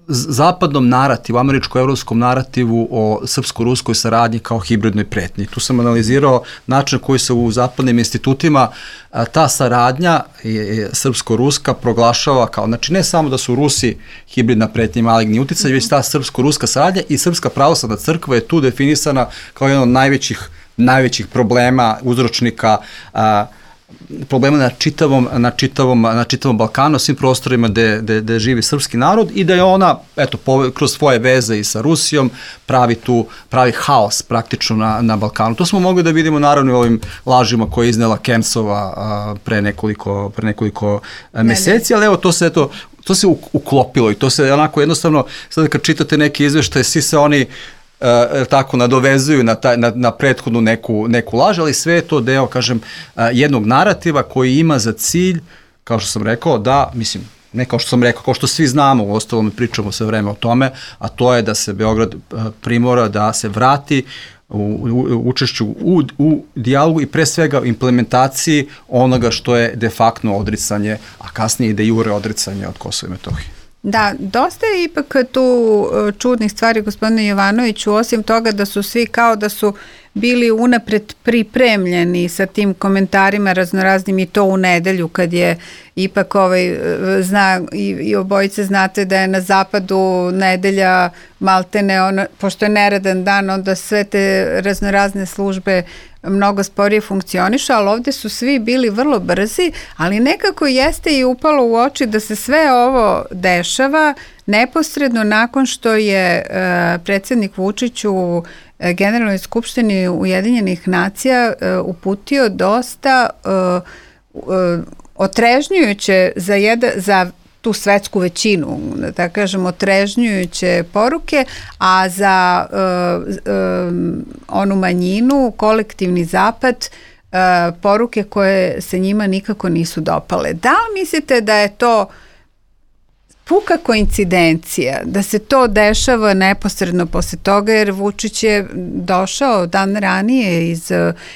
zapadnom narativu, američko-evropskom narativu o srpsko-ruskoj saradnji kao hibridnoj pretnji. Tu sam analizirao način koji se u zapadnim institutima a, ta saradnja je srpsko-ruska proglašava kao, znači ne samo da su Rusi hibridna pretnja i maligni uticaj, već ta srpsko-ruska saradnja i Srpska pravoslavna crkva je tu definisana kao jedan od najvećih, najvećih problema, uzročnika a, problema na čitavom, na čitavom, na čitavom Balkanu, svim prostorima gde, gde, gde živi srpski narod i da je ona, eto, po, kroz svoje veze i sa Rusijom pravi tu, pravi haos praktično na, na Balkanu. To smo mogli da vidimo naravno u ovim lažima koje je iznela Kemcova a, pre nekoliko, pre nekoliko a, meseci, ali evo to se, eto, to se uklopilo i to se onako jednostavno, sada kad čitate neke izveštaje, svi se oni Uh, tako nadovezuju na, taj, na, na prethodnu neku, neku laž, ali sve je to deo, kažem, uh, jednog narativa koji ima za cilj, kao što sam rekao, da, mislim, ne kao što sam rekao, kao što svi znamo, u ostalom mi pričamo sve vreme o tome, a to je da se Beograd uh, primora da se vrati u, u, u učešću u, u dijalogu i pre svega implementaciji onoga što je de facto odricanje, a kasnije i de jure odricanje od Kosova i Metohije. Da, dosta je ipak tu čudnih stvari, gospodine Jovanoviću, osim toga da su svi kao da su bili unapred pripremljeni sa tim komentarima raznoraznim i to u nedelju kad je ipak ovaj, zna, i, i obojice znate da je na zapadu nedelja maltene, ono, pošto je neradan dan, onda sve te raznorazne službe mnogo sporije funkcionišu, ali ovde su svi bili vrlo brzi, ali nekako jeste i upalo u oči da se sve ovo dešava neposredno nakon što je uh, predsjednik Vučić u Generalnoj skupštini Ujedinjenih nacija uh, uputio dosta uh, uh, otrežnjujuće za, jeda, za tu svetsku većinu, da tako kažem, otrežnjujuće poruke, a za uh, uh, onu manjinu, kolektivni zapad, uh, poruke koje se njima nikako nisu dopale. Da li mislite da je to puka koincidencija, da se to dešava neposredno posle toga, jer Vučić je došao dan ranije iz,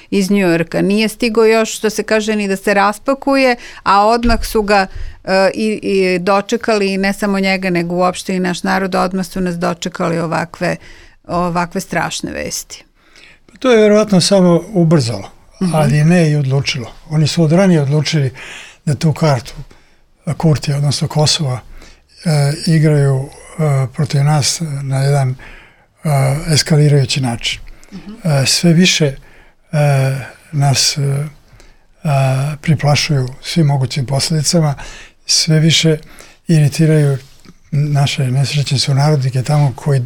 iz Njujorka, nije stigao još, što se kaže, ni da se raspakuje, a odmah su ga uh, i, i dočekali, i ne samo njega, nego uopšte i naš narod, odmah su nas dočekali ovakve, ovakve strašne vesti. To je vjerovatno samo ubrzalo, uh-huh. ali ne i odlučilo. Oni su od ranije odlučili da tu kartu Kurtija, odnosno Kosova, E, igraju e, protiv nas na jedan e, eskalirajući način. Uh-huh. E, sve više e, nas e, a, priplašuju svim mogućim posljedicama, sve više iritiraju naše nesrećne sunarodnike tamo koji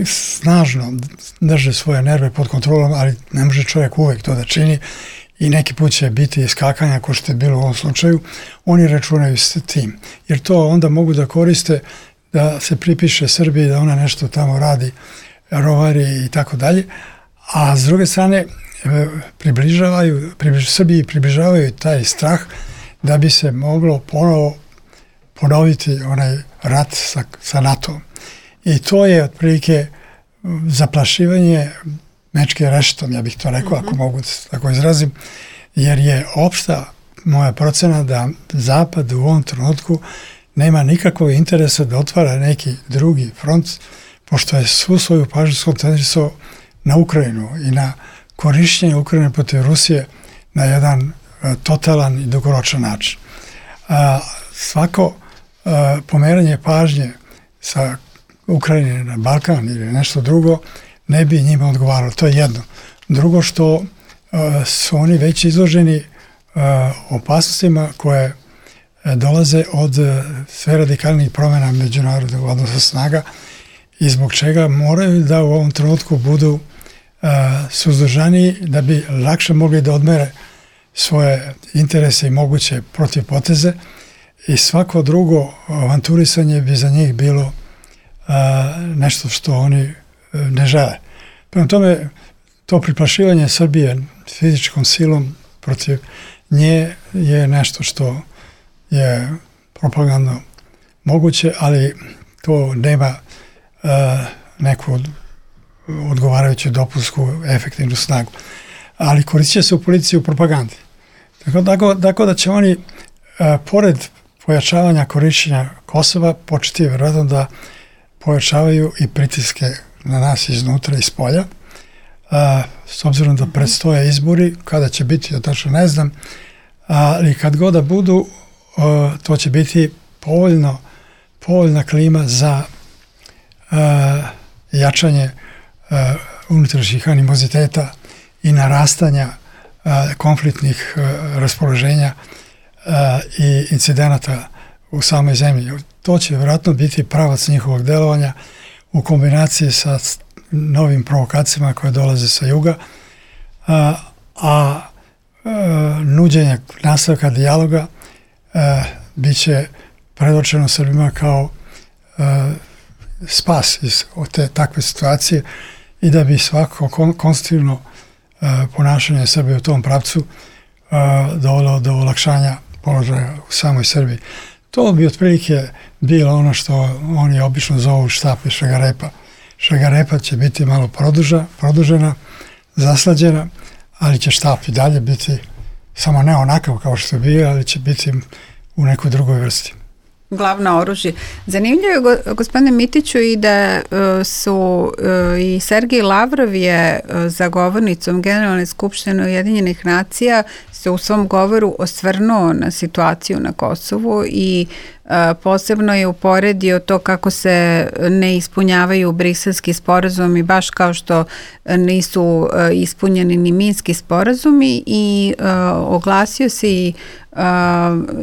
snažno drže svoje nerve pod kontrolom, ali ne može čovjek uvek to da čini i neki put će biti iskakanja, ko što je bilo u ovom slučaju. Oni računaju s tim, jer to onda mogu da koriste da se pripiše Srbiji da ona nešto tamo radi, rovari i tako dalje, a s druge strane približavaju, približ, Srbiji približavaju taj strah da bi se moglo ponovo ponoviti onaj rat sa, sa NATO-om. I to je otprilike zaplašivanje mečke rešetom, ja bih to rekao, mm-hmm. ako mogu tako izrazim, jer je opšta moja procena da Zapad u ovom trenutku nema nikakvog interesa da otvara neki drugi front, pošto je svu svoju pažnju skoncentrisao na Ukrajinu i na korišćenje Ukrajine protiv Rusije na jedan totalan i dugoročan način. A, svako a, pomeranje pažnje sa Ukrajine na Balkan ili nešto drugo ne bi njima odgovaralo. To je jedno. Drugo što a, su oni već izloženi a, opasnostima koje a, dolaze od a, sve radikalnih promjena međunarodnog odnosa snaga i zbog čega moraju da u ovom trenutku budu a, suzdržani da bi lakše mogli da odmere svoje interese i moguće protivpoteze i svako drugo avanturisanje bi za njih bilo a, nešto što oni a, ne žele. Prema tome, to priplašivanje Srbije fizičkom silom protiv nje je nešto što je propagandno moguće, ali to nema a, neku odgovarajuću dopunsku efektivnu snagu. Ali koristit će se u politici u propagandi. Tako, tako, tako da će oni, a, pored pojačavanja korišćenja Kosova, početi vjerojatno da pojačavaju i pritiske na nas iznutra i iz polja. A, s obzirom da predstoje izbori, kada će biti, ja tačno ne znam, ali kad god da budu, a, to će biti povoljno, povoljna klima za a, jačanje a, unutrašnjih animoziteta i narastanja a, konfliktnih a, raspoloženja a, i incidenata u samoj zemlji. To će vjerojatno biti pravac njihovog delovanja u kombinaciji sa novim provokacijama koje dolaze sa juga, a, a, a nuđenje nastavka dijaloga a, bit će predočeno Srbima kao a, spas iz te takve situacije i da bi svako kon, konstruktivno a, ponašanje Srbije u tom pravcu a, dovelo do olakšanja položaja u samoj Srbiji. To bi otprilike bilo ono što oni obično zovu štap i šagarepa. Šagarepa će biti malo produža, produžena, zaslađena, ali će štap i dalje biti samo ne onakav kao što je bio, ali će biti u nekoj drugoj vrsti. Glavno oružje. Zanimljivo je, gospodine Mitiću, i da uh, su uh, i Sergej Lavrov je uh, za govornicom Generalne skupštine Ujedinjenih nacija se u svom govoru osvrnuo na situaciju na Kosovu i uh, posebno je uporedio to kako se ne ispunjavaju briselski sporazumi, baš kao što nisu uh, ispunjeni ni minski sporazumi i uh, oglasio se i Uh,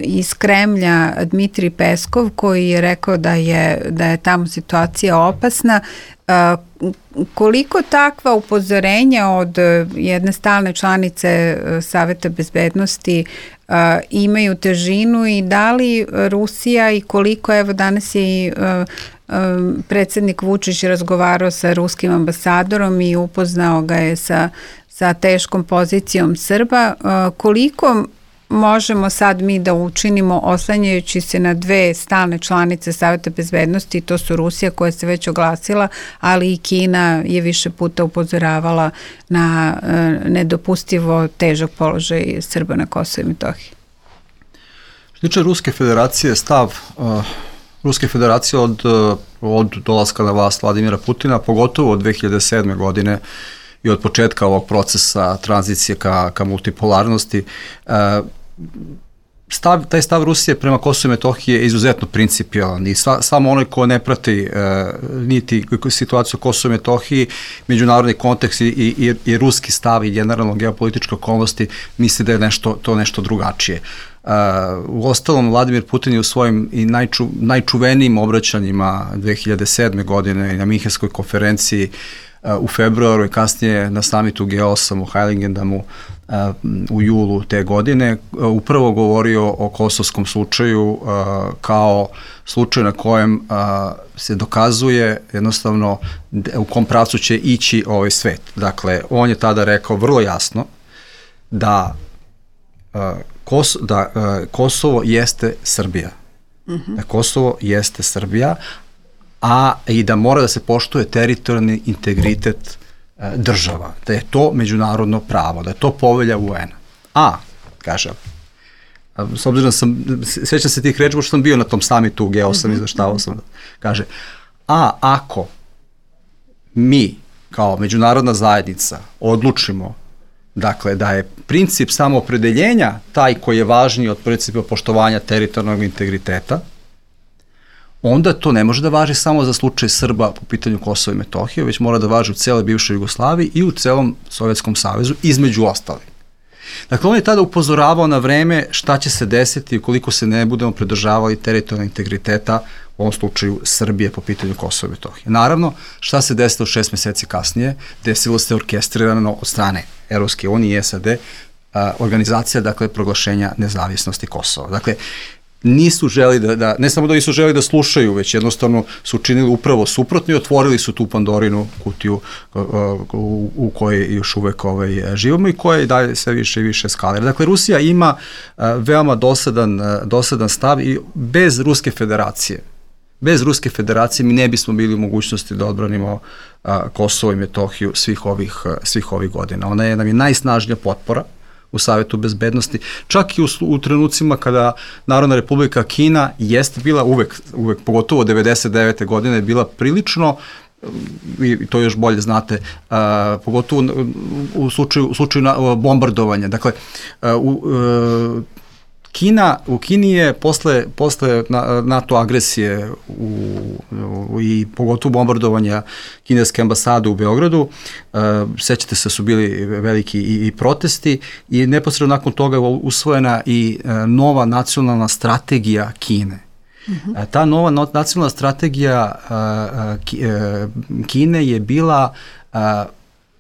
iz Kremlja Dmitrij Peskov koji je rekao da je, da je tamo situacija opasna. Uh, koliko takva upozorenja od jedne stalne članice Saveta bezbednosti uh, imaju težinu i da li Rusija i koliko, evo danas je i uh, uh, predsjednik Vučić razgovarao sa ruskim ambasadorom i upoznao ga je sa, sa teškom pozicijom Srba, uh, koliko možemo sad mi da učinimo oslanjajući se na dve stalne članice Saveta bezbednosti, to su Rusija koja se već oglasila, ali i Kina je više puta upozoravala na uh, nedopustivo težak položaj Srba na Kosovu i Metohiji. Što tiče Ruske federacije, stav uh, Ruske federacije od, uh, od dolaska na vlast Vladimira Putina, pogotovo od dve hiljade sedme. godine i od početka ovog procesa tranzicije ka, ka multipolarnosti, uh, Stav, taj stav Rusije prema Kosovu i Metohiji je izuzetno principijalan i sva, samo onaj ko ne prati e, niti situaciju Kosovu i Metohiji, međunarodni kontekst i, i, i ruski stav i generalno geopolitičke okolnosti misli da je nešto, to nešto drugačije. Uh, u ostalom, Vladimir Putin je u svojim i najču, najčuvenijim obraćanjima dve hiljade sedme. godine na Minhenskoj konferenciji uh, u februaru i kasnije na samitu G osam u Heiligendamu uh, u julu te godine uh, upravo govorio o kosovskom slučaju uh, kao slučaju na kojem uh, se dokazuje jednostavno u kom pravcu će ići ovaj svet. Dakle, on je tada rekao vrlo jasno da uh, Kos, da uh, Kosovo jeste Srbija. Uh-huh. Da Kosovo jeste Srbija, a i da mora da se poštuje teritorijalni integritet uh, država. Da je to međunarodno pravo, da je to povelja U N A. A, kaže, a, s obzirom da sam, sjećam se tih reči, što sam bio na tom samitu u G osam, uh-huh. izveštavao sam, kaže, a ako mi kao međunarodna zajednica odlučimo dakle da je princip samoopredeljenja taj koji je važniji od principa poštovanja teritorijalnog integriteta, onda to ne može da važi samo za slučaj Srba po pitanju Kosova i Metohije, već mora da važi u celoj bivšoj Jugoslaviji i u celom Sovjetskom savezu, između ostalih. Dakle, on je tada upozoravao na vreme šta će se desiti ukoliko se ne budemo pridržavali teritorijalnog integriteta, u ovom slučaju Srbije po pitanju Kosova i Metohije. Naravno, šta se desilo šest meseci kasnije? Desilo se orkestrirano od strane Evropske unije i S A D organizacija, dakle, proglašenja nezavisnosti Kosova. Dakle, nisu želi da, da, ne samo da nisu želi da slušaju, već jednostavno su učinili upravo suprotno i otvorili su tu Pandorinu kutiju u, u, u kojoj još uvek ovaj, živimo i koja i dalje sve više i više eskalira. Dakle, Rusija ima a, veoma dosadan, a, dosadan stav i bez Ruske federacije, bez Ruske federacije mi ne bismo bili u mogućnosti da odbranimo a, Kosovo i Metohiju svih ovih, a, svih ovih godina. Ona je nam je najsnažnija potpora u Savetu bezbednosti, čak i u, u trenucima kada Narodna republika Kina jeste bila uvek, uvek pogotovo devedeset devete godine, bila prilično, i to još bolje znate, a, pogotovo u, u slučaju, u slučaju na, bombardovanja. Dakle, a, u, a, Kina, u Kini je posle, posle NATO agresije u, u, i pogotovo bombardovanja kineske ambasade u Beogradu, uh, sećate se su bili veliki i, i protesti i neposredno nakon toga je usvojena i uh, nova nacionalna strategija Kine. Mm-hmm. Uh, ta nova no, nacionalna strategija uh, ki, uh, Kine je bila uh,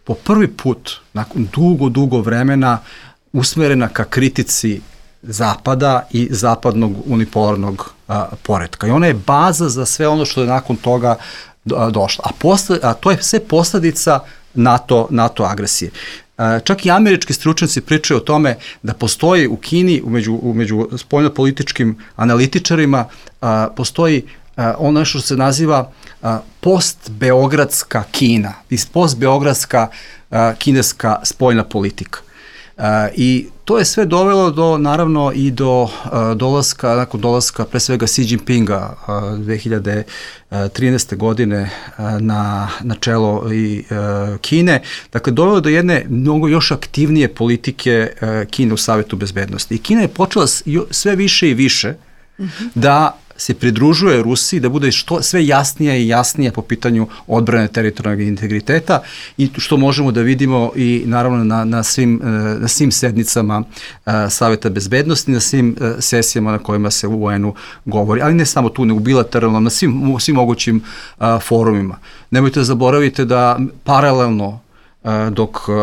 po prvi put, nakon dugo, dugo vremena, usmerena ka kritici Zapada i zapadnog unipolarnog a, poretka. I ona je baza za sve ono što je nakon toga a, došlo. A, posle, a to je sve posledica NATO, NATO agresije. A, čak i američki stručnjaci pričaju o tome da postoji u Kini, umeđu, umeđu spoljnopolitičkim analitičarima, a, postoji a, ono što se naziva a, post-beogradska Kina, post-beogradska a, kineska spoljna politika. Uh, i to je sve dovelo do, naravno, i do uh, dolaska, nakon dolaska pre svega Xi Jinpinga uh, dve hiljade trinaeste. godine uh, na, na čelo i uh, Kine, dakle dovelo do jedne mnogo još aktivnije politike uh, Kine u Savetu bezbednosti. I Kina je počela sve više i više mm-hmm. da se pridružuje Rusiji, da bude što sve jasnija i jasnija po pitanju odbrane teritorijalnog integriteta i što možemo da vidimo i naravno na, na, svim, na svim sednicama uh, Saveta bezbednosti, na svim uh, sesijama na kojima se u U N-u govori, ali ne samo tu, nego bilateralno, na svim, svim mogućim uh, forumima. Nemojte da zaboravite da paralelno uh, dok uh,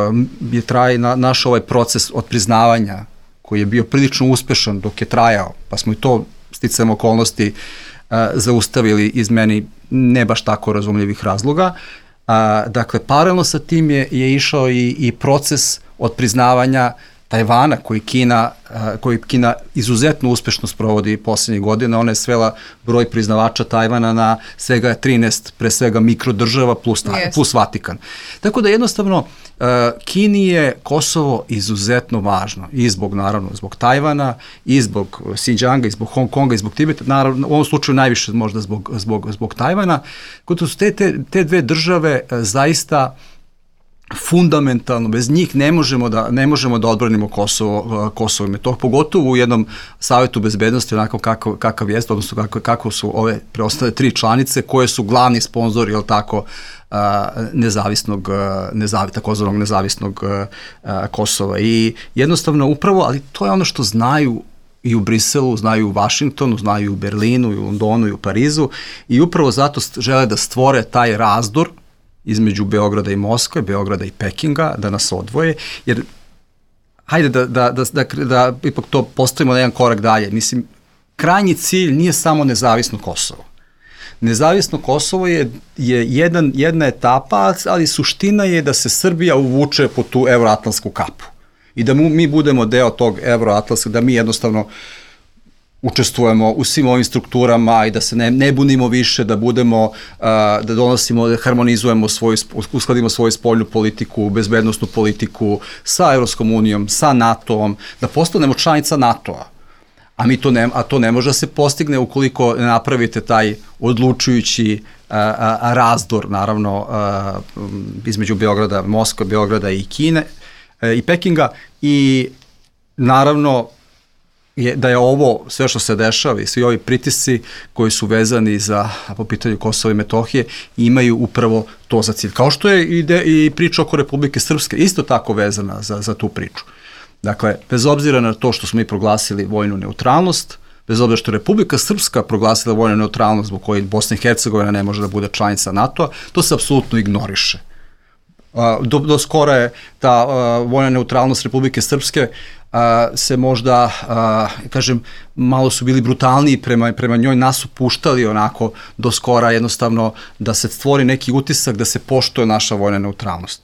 je traje na, naš ovaj proces od priznavanja koji je bio prilično uspešan dok je trajao, pa smo i to sticajem okolnosti uh, zaustavili iz meni ne baš tako razumljivih razloga. Uh, dakle, paralelno sa tim je, je išao i, i proces od priznavanja Tajvana koji Kina, uh, koji Kina izuzetno uspešno sprovodi poslednjih godina. Ona je svela broj priznavača Tajvana na svega trinaest, pre svega mikrodržava plus, yes. plus Vatikan. Tako da jednostavno uh, Kini je Kosovo izuzetno važno i zbog, naravno, zbog Tajvana, i zbog Xinjianga, i zbog Hong Konga, i zbog Tibeta, naravno, u ovom slučaju najviše možda zbog, zbog, zbog Tajvana. Kod su te, te, te dve države uh, zaista fundamentalno, bez njih ne možemo da, ne možemo da odbranimo Kosovo, Kosovo i Metohiju, pogotovo u jednom Savetu bezbednosti, onako kakav, kakav jest, odnosno kako, kako su ove preostale tri članice koje su glavni sponzori, jel tako, nezavisnog, nezavi, takozvanog nezavisnog Kosova. I jednostavno upravo, ali to je ono što znaju i u Briselu, znaju u Vašingtonu, znaju i u Berlinu, i u Londonu, i u Parizu, i upravo zato žele da stvore taj razdor između Beograda i Moskve, Beograda i Pekinga, da nas odvoje, jer hajde da, da, da, da, da ipak to postavimo na jedan korak dalje. Mislim, krajnji cilj nije samo nezavisno Kosovo. Nezavisno Kosovo je, je jedan, jedna etapa, ali suština je da se Srbija uvuče po tu evroatlantsku kapu i da mu, mi budemo deo tog evroatlantskog, da mi jednostavno učestvujemo u svim ovim strukturama i da se ne, ne bunimo više, da budemo, uh, da donosimo, da harmonizujemo svoju, uskladimo svoju spoljnu politiku, bezbednosnu politiku sa Evropskom unijom, sa NATO-om, da postanemo članica NATO-a. A, mi to ne, a to ne može da se postigne ukoliko ne napravite taj odlučujući uh, uh, razdor, naravno, uh, između Beograda, Moskve, Beograda i Kine, e, i Pekinga i naravno je, da je ovo sve što se dešava i svi ovi pritisci koji su vezani za po pitanju Kosova i Metohije imaju upravo to za cilj. Kao što je i, de, i priča oko Republike Srpske isto tako vezana za, za tu priču. Dakle, bez obzira na to što smo mi proglasili vojnu neutralnost, bez obzira što je Republika Srpska proglasila vojnu neutralnost zbog koje Bosna i Hercegovina ne može da bude članica NATO-a, to se apsolutno ignoriše. Do, do skora je ta uh, vojna neutralnost Republike Srpske uh, se možda, uh, kažem, malo su bili brutalniji prema, prema njoj, nas su puštali onako do skora jednostavno da se stvori neki utisak da se poštuje naša vojna neutralnost.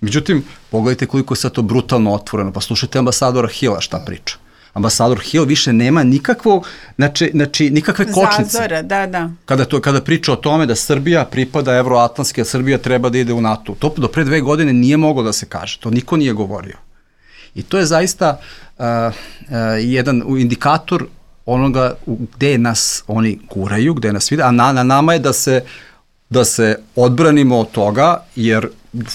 Međutim, pogledajte koliko je sad to brutalno otvoreno, pa slušajte ambasadora Hilla šta priča. Ambasador Hill više nema nikakvog, znači, znači nikakve kočnice. Zazora, da, da. Kada, to, kada priča o tome da Srbija pripada evroatlantske, a Srbija treba da ide u NATO. To do pre dve godine nije moglo da se kaže. To niko nije govorio. I to je zaista uh, uh, jedan indikator onoga gde nas oni guraju, gde nas vide, a na, na nama je da se, da se odbranimo od toga, jer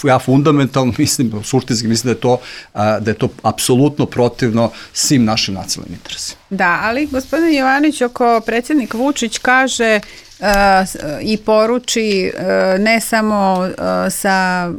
ja fundamentalno mislim, suštinski mislim da je to, da je to apsolutno protivno svim našim nacionalnim interesima. Da, ali gospodin Jovanović, ako predsjednik Vučić kaže uh, i poruči uh, ne samo uh, sa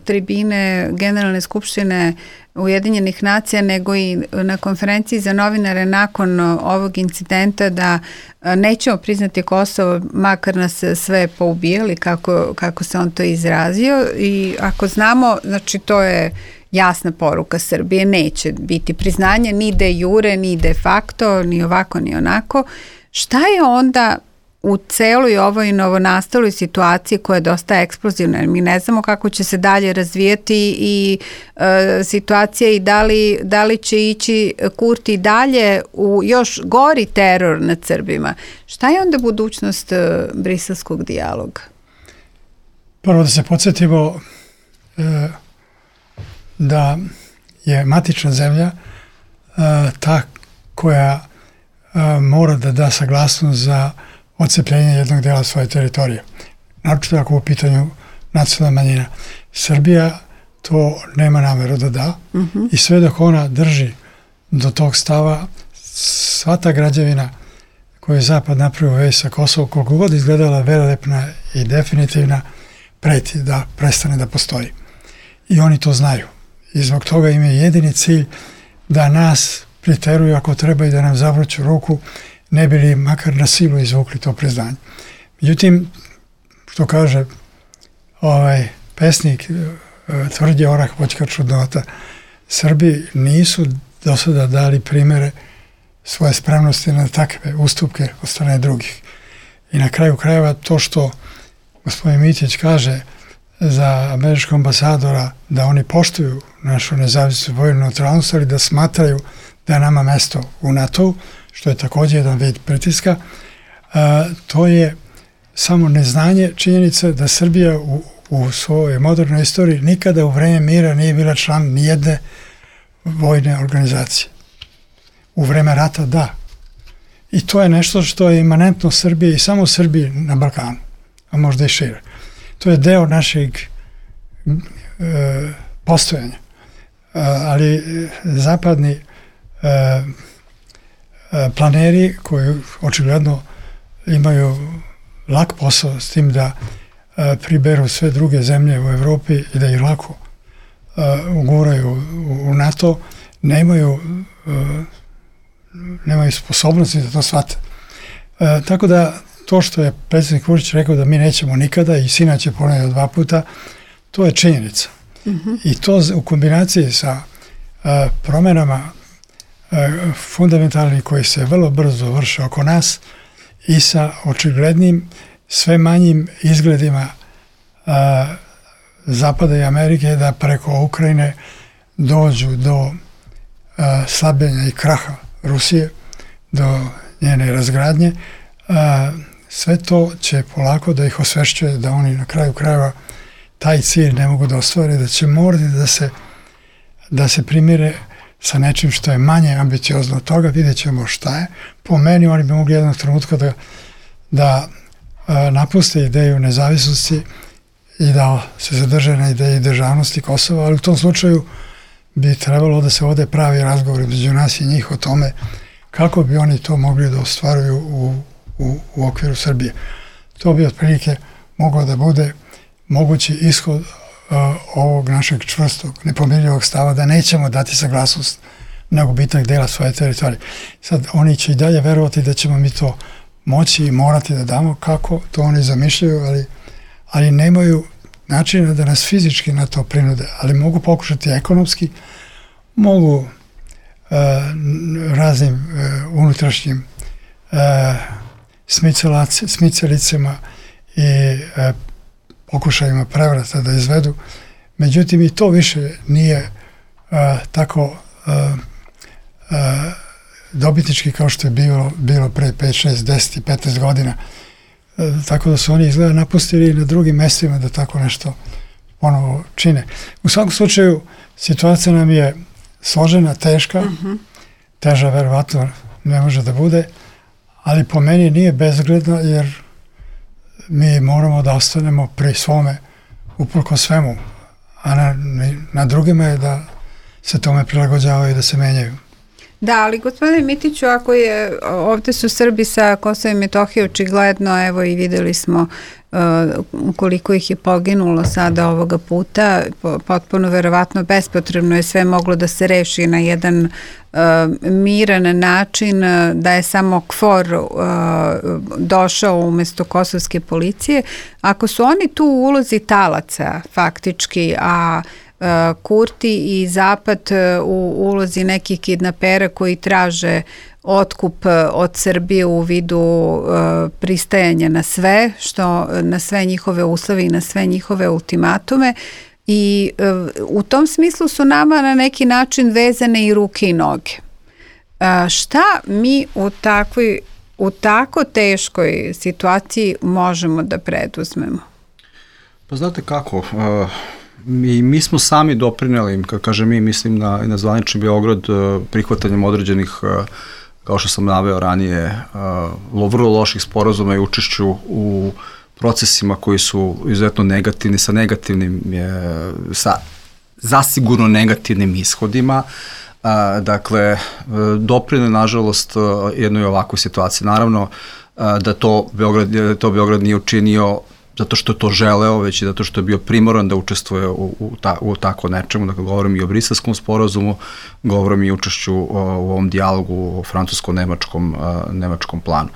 tribine Generalne skupštine Ujedinjenih nacija, nego i na konferenciji za novinare nakon ovog incidenta da nećemo priznati Kosovo, makar nas sve poubijali, kako, kako se on to izrazio. I ako znamo, znači to je jasna poruka Srbije, neće biti priznanje ni de jure, ni de facto, ni ovako, ni onako. Šta je onda u celoj ovoj novonastaloj situaciji koja je dosta eksplozivna, jer mi ne znamo kako će se dalje razvijati i e, situacija i da li, da li će ići Kurti dalje u još gori teror nad Srbima. Šta je onda budućnost e, briselskog dijaloga? Prvo da se podsjetimo e, da je matična zemlja e, ta koja e, mora da da saglasnost za odcepljenje jednog dela svoje teritorije. Naročito ako u pitanju nacionalna manjina. Srbija to nema nameru da da uh-huh. i sve dok ona drži do tog stava, sva ta građevina koju je Zapad napravio već sa Kosovom, koliko god izgledala velelepna i definitivna, preti da prestane da postoji. I oni to znaju. I zbog toga im je jedini cilj da nas priteruju ako treba i da nam zavruću ruku, ne bi li makar na silu izvukli to priznanje. Međutim, što kaže ovaj pesnik, tvrđi orah voćka čudnota, Srbi nisu do sada dali primere svoje spremnosti na takve ustupke od strane drugih. I na kraju krajeva to što gospodin Mitić kaže za američkog ambasadora da oni poštuju našu nezavisnu vojnu neutralnost, ali da smatraju da je nama mesto u NATO-u, što je također jedan vid pritiska, a, to je samo neznanje činjenica da Srbija u, u svojoj modernoj istoriji nikada u vreme mira nije bila član nijedne vojne organizacije. U vreme rata da. I to je nešto što je imanentno Srbiji i samo Srbiji na Balkanu, a možda i šire. To je deo našeg e, postojanja. E, ali zapadni e, planeri koji očigledno imaju lak posao s tim da a, priberu sve druge zemlje u Evropi i da ih lako a, uguraju u, u NATO, nemaju, a, nemaju sposobnosti da to shvate. A, tako da to što je predsjednik Vučić rekao da mi nećemo nikada i sinoć je ponovio dva puta, to je činjenica. Mm-hmm. I to u kombinaciji sa a, promenama fundamentalni koji se vrlo brzo vrše oko nas i sa očiglednim sve manjim izgledima a, Zapada i Amerike da preko Ukrajine dođu do a, slabljenja i kraha Rusije, do njene razgradnje. A, sve to će polako da ih osvešćuje da oni na kraju krajeva taj cilj ne mogu da ostvare, da će morati da se, da se primire sa nečim što je manje ambiciozno od toga, vidjet ćemo šta je. Po meni oni bi mogli jednog trenutka da, da a, napuste ideju nezavisnosti i da se zadrže na ideji državnosti Kosova, ali u tom slučaju bi trebalo da se vode pravi razgovor među nas i njih o tome kako bi oni to mogli da ostvaruju u, u, u okviru Srbije. To bi otprilike moglo da bude mogući ishod uh, ovog našeg čvrstog, nepomirljivog stava da nećemo dati saglasnost na gubitak dela svoje teritorije. Sad, oni će i dalje verovati da ćemo mi to moći i morati da damo, kako to oni zamišljaju, ali, ali nemaju načina da nas fizički na to prinude, ali mogu pokušati ekonomski, mogu uh, raznim uh, unutrašnjim uh, smicalicama i uh, pokušajima prevrata da izvedu. Međutim, i to više nije uh, tako uh, uh, dobitnički kao što je bilo, bilo pre pet, šest, deset i petnaest godina. Uh, tako da su oni izgleda napustili na drugim mestima da tako nešto ponovo čine. U svakom slučaju, situacija nam je složena, teška, uh-huh. teža verovatno ne može da bude, ali po meni nije bezgledna, jer mi moramo da ostanemo pri svome uprko svemu, a na, na drugima je da se tome prilagođavaju i da se menjaju. Da, ali gospodine Mitiću, ako je, ovde su Srbi sa Kosova i Metohije očigledno, evo i videli smo uh, koliko ih je poginulo sada ovoga puta, potpuno verovatno bespotrebno je sve moglo da se reši na jedan uh, miran način, da je samo KFOR uh, došao umesto kosovske policije. Ako su oni tu u ulozi talaca faktički, a Kurti i Zapad u ulozi nekih kidnapera koji traže otkup od Srbije u vidu uh, pristajanja na sve, što na sve njihove uslove i na sve njihove ultimatume, i uh, u tom smislu su nama na neki način vezane i ruke i noge. Uh, šta mi u takvoj, u tako teškoj situaciji možemo da preduzmemo? Pa znate kako, uh... Mi, mi smo sami doprineli, kad kažem mi, mislim na, na zvanični Beograd, prihvatanjem određenih, kao što sam naveo ranije, vrlo loših sporazuma i učešću u procesima koji su izuzetno negativni, sa negativnim, sa zasigurno negativnim ishodima. Dakle, doprineli, nažalost, jednoj ovakvoj situaciji. Naravno da to Beograd, da to Beograd nije učinio zato što je to želeo, već i zato što je bio primoran da učestvuje u, u, ta, u tako nečemu. Dakle, govorim i o Briselskom sporazumu, govorim i o učešću u, u ovom dijalogu o francusko-nemačkom nemačkom planu.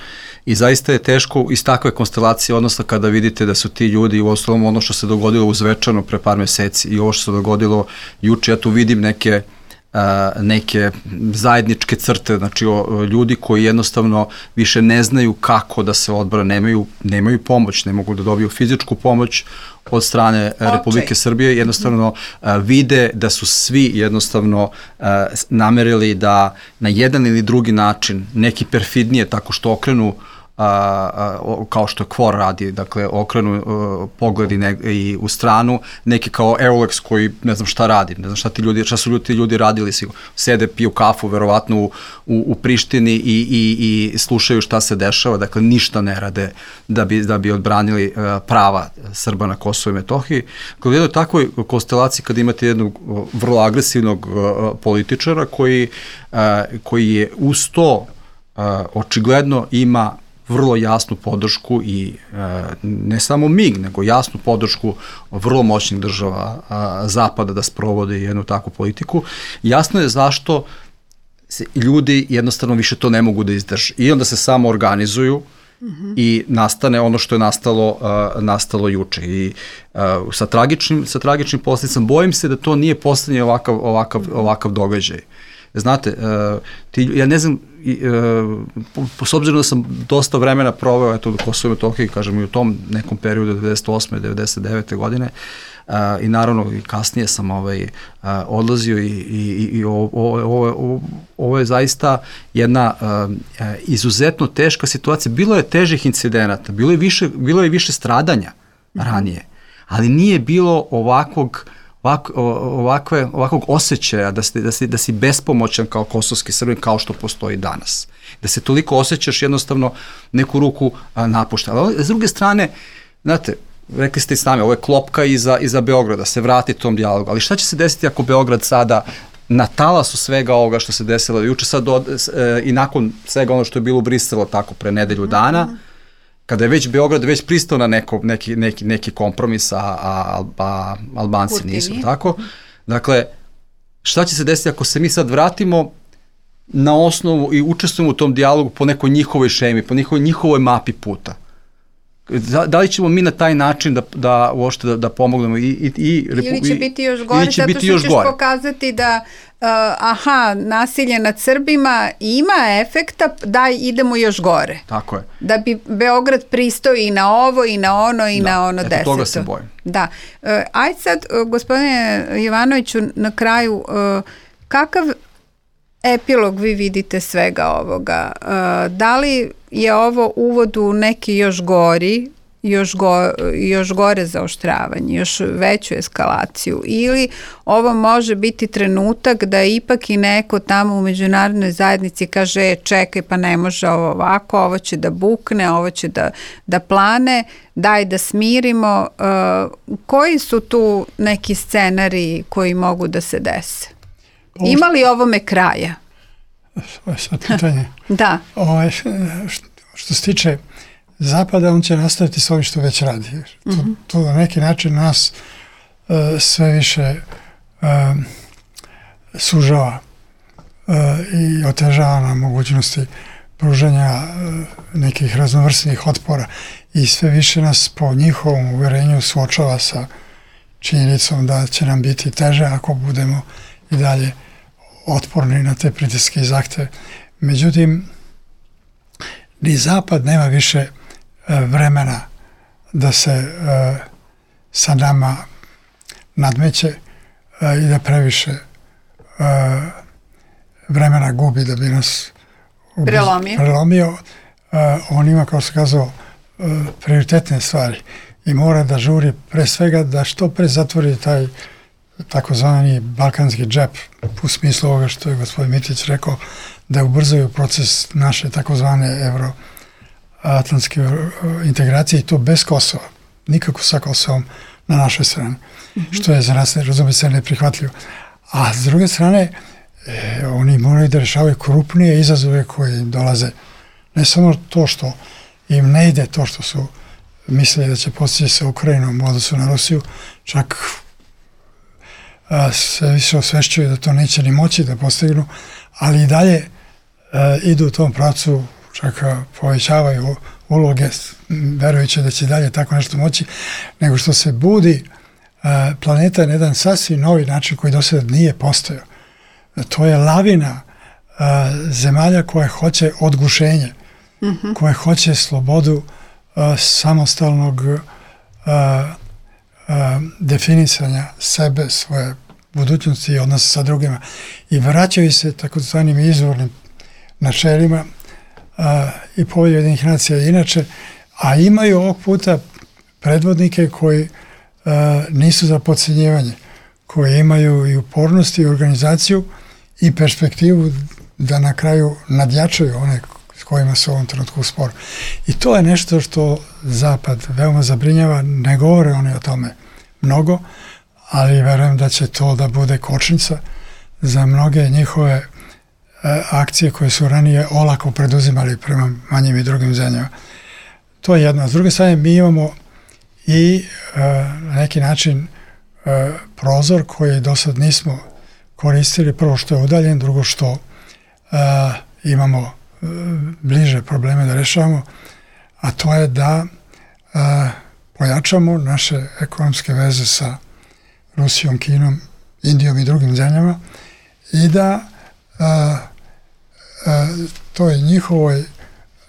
I zaista je teško iz takve konstelacije, odnosno kada vidite da su ti ljudi, u osnovom ono što se dogodilo u Zvečanu pre par meseci i ovo što se dogodilo juče, ja tu vidim neke neke zajedničke crte, znači o, ljudi koji jednostavno više ne znaju kako da se odbrane, nemaju, nemaju pomoć, ne mogu da dobiju fizičku pomoć od strane okay. Republike Srbije, jednostavno a, vide da su svi jednostavno a, namerili da na jedan ili drugi način, neki perfidnije tako što okrenu A, a, kao što KFOR radi, dakle okrenu a, pogledi ne, i u stranu, neki kao Eulex koji ne znam šta radi, ne znam šta ti ljudi, šta su ljudi, ti ljudi radili, si, sede, piju kafu verovatno u, u, u Prištini i, i, i slušaju šta se dešava, dakle ništa ne rade da bi, da bi odbranili a, prava Srba na Kosovu i Metohiji. Kod jednoj takvoj konstelaciji kad imate jednog vrlo agresivnog a, političara koji, a, koji je uz to a, očigledno ima vrlo jasnu podršku i e, ne samo mig, nego jasnu podršku vrlo moćnih država a, Zapada da sprovode jednu takvu politiku. Jasno je zašto se ljudi jednostavno više to ne mogu da izdrže. I onda se samo organizuju mm-hmm. i nastane ono što je nastalo, a, nastalo juče. I a, sa tragičnim, sa tragičnim posljedicama, bojim se da to nije poslednji ovakav, ovakav, ovakav događaj. Znate, uh, ti, ja ne znam, uh, s obzirom da sam dosta vremena proveo eto, u Kosovo i Metohiji, kažem i u tom nekom periodu devedeset osme devedeset devete godine uh, i naravno i kasnije sam ovaj, uh, odlazio i, i, i ovo, ovo, ovo, ovo je zaista jedna uh, izuzetno teška situacija. Bilo je težih incidenata, bilo je više, bilo je više stradanja ranije, ali nije bilo ovakvog Ovak, ovakve, ovakvog osjećaja da si, da, si, da si bespomoćan kao kosovski Srbin kao što postoji danas. Da se toliko osjećaš jednostavno neku ruku a, napušta. Ali s druge strane, znate, rekli ste i s nami, ovo je klopka iza, iza Beograda, se vrati tom dijalogu, ali šta će se desiti ako Beograd sada na talasu svega ovoga što se desilo juče sad od, e, i nakon svega ono što je bilo u Briselu tako pre nedelju dana, mm-hmm. kada je već Beograd već pristao na neko, neki, neki, neki kompromis, a, a, a Albanci Kurtivi. Nisu, tako? Dakle, šta će se desiti ako se mi sad vratimo na osnovu i učestvujemo u tom dijalogu po nekoj njihovoj šemi, po njihovoj, njihovoj mapi puta? Da, da li ćemo mi na taj način da, da uopšte da, da pomognemo i, i, i ili će biti još gore, zato što ćeš gore. Pokazati da uh, aha, nasilje nad Srbima ima efekta, daj idemo još gore. Tako je. Da bi Beograd pristao i na ovo i na ono i da, na ono deseto. Toga se bojim. Da. Uh, ajde sad, uh, gospodine Jovanoviću, na kraju, uh, kakav epilog vi vidite svega ovoga? Uh, da li je ovo uvod u neki još gori, još, go, još gore zaoštravanje, još veću eskalaciju, ili ovo može biti trenutak da ipak i neko tamo u međunarodnoj zajednici kaže čekaj, pa ne može ovo ovako, ovo će da bukne, ovo će da, da plane, daj da smirimo. Uh, koji su tu neki scenariji koji mogu da se dese? Ima li ovome kraja? Ovo je sad pitanje. Da. Ovo, što, što se tiče Zapada, on će nastaviti s ovim što već radi. Mm-hmm. To, to na neki način nas uh, sve više uh, sužava uh, i otežava na mogućnosti pružanja uh, nekih raznovrsnih otpora i sve više nas po njihovom uverenju suočava sa činjenicom da će nam biti teže ako budemo i dalje otporni na te pritiske i zahteve. Međutim, ni Zapad nema više e, vremena da se e, sa nama nadmeće e, i da previše e, vremena gubi da bi nas ubiz, prelomio. prelomio. E, on ima, kao se kazao, e, prioritetne stvari i mora da žuri pre svega da što pre zatvori taj takozvani balkanski džep, u smislu ovoga što je gospodin Mitić rekao, da ubrzaju proces naše takozvane evroatlantske integracije i to bez Kosova, nikako sa Kosovom na našoj strani, mm-hmm. što je za nas, razumije se, neprihvatljivo. A s druge strane, e, oni moraju da rešavaju krupnije izazove koji dolaze. Ne samo to što im ne ide, to što su mislili da će postići sa Ukrajinom u odnosu na Rusiju, čak a, se više osvešćuju da to neće ni moći da postignu, ali i dalje a, idu u tom pravcu, čak a, povećavaju uloge, verujući da će dalje tako nešto moći, nego što se budi a, planeta na jedan sasvim novi način koji do sada nije postojao. To je lavina a, zemalja koje hoće odgušenje, mm-hmm. koje hoće slobodu a, samostalnog a, a, definisanja sebe, svoje budućnosti i odnosa sa drugima i vraćaju se takozvanim izvornim načelima a, i Povelju Ujedinjenih nacija inače, a imaju ovog puta predvodnike koji a, nisu za podcjenjivanje, koji imaju i upornost i organizaciju i perspektivu da na kraju nadjačaju one s kojima su u ovom trenutku u sporu. I to je nešto što Zapad veoma zabrinjava, ne govore oni o tome mnogo, ali verujem da će to da bude kočnica za mnoge njihove e, akcije koje su ranije olako preduzimali prema manjim i drugim zemljama. To je jedno. S druge strane, mi imamo i e, na neki način e, prozor koji do sad nismo koristili. Prvo što je udaljen, drugo što e, imamo e, bliže probleme da rešavamo, a to je da e, pojačamo naše ekonomske veze sa Rusijom, Kinom, Indijom i drugim zemljama i da a, a, toj njihovoj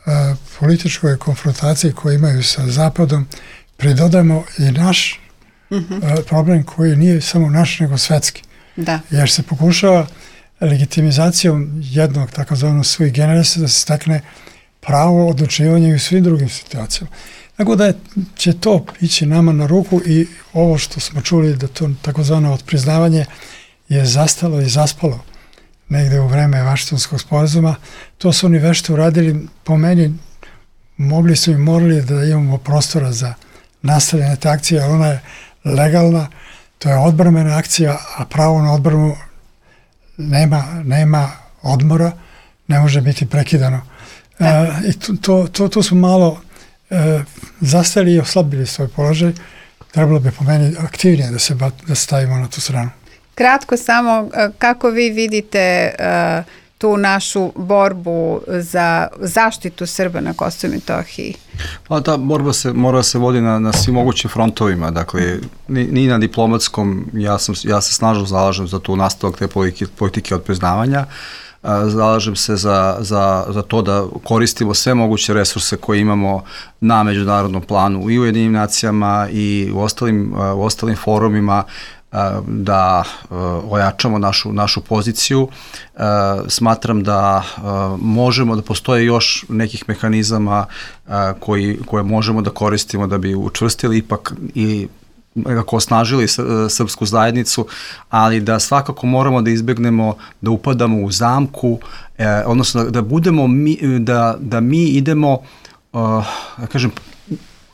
a, političkoj konfrontaciji koju imaju sa Zapadom pridodamo i naš mm-hmm. a, problem koji nije samo naš nego svetski. Da. Jer se pokušava legitimizacijom jednog takozvanog sui generis da se stakne pravo odlučivanja i u svim drugim situacijama. Tako da je, će to ići nama na ruku i ovo što smo čuli da to takozvano odpriznavanje je zastalo i zaspalo negde u vreme Vašingtonskog sporazuma. To su oni vešto uradili, po meni mogli su i morali da imamo prostora za nastavljanje te akcije, ali ona je legalna, to je odbrambena akcija, a pravo na odbranu nema, nema odmora, ne može biti prekidano. E, I to, to, to su malo e, zastali i oslabili svoj položaj. Trebalo bi po meni aktivnije da se, da stavimo na tu stranu. Kratko samo, kako vi vidite uh, tu našu borbu za zaštitu Srba na Kosovu i Metohiji? Pa ta borba se mora se vodi na, na svim mogućim frontovima, dakle ni, ni na diplomatskom, ja, sam, ja se snažno zalažem za tu nastavak te politike, politike odpriznavanja, zalažem se za, za, za to da koristimo sve moguće resurse koje imamo na međunarodnom planu i u Ujedinjenim nacijama i u ostalim, u ostalim forumima, da ojačamo našu, našu poziciju. Smatram da možemo, da postoje još nekih mehanizama koji, koje možemo da koristimo da bi učvrstili ipak i nekako osnažili srpsku zajednicu, ali da svakako moramo da izbegnemo da upadamo u zamku, odnosno da budemo mi, da, da mi idemo, da kažem,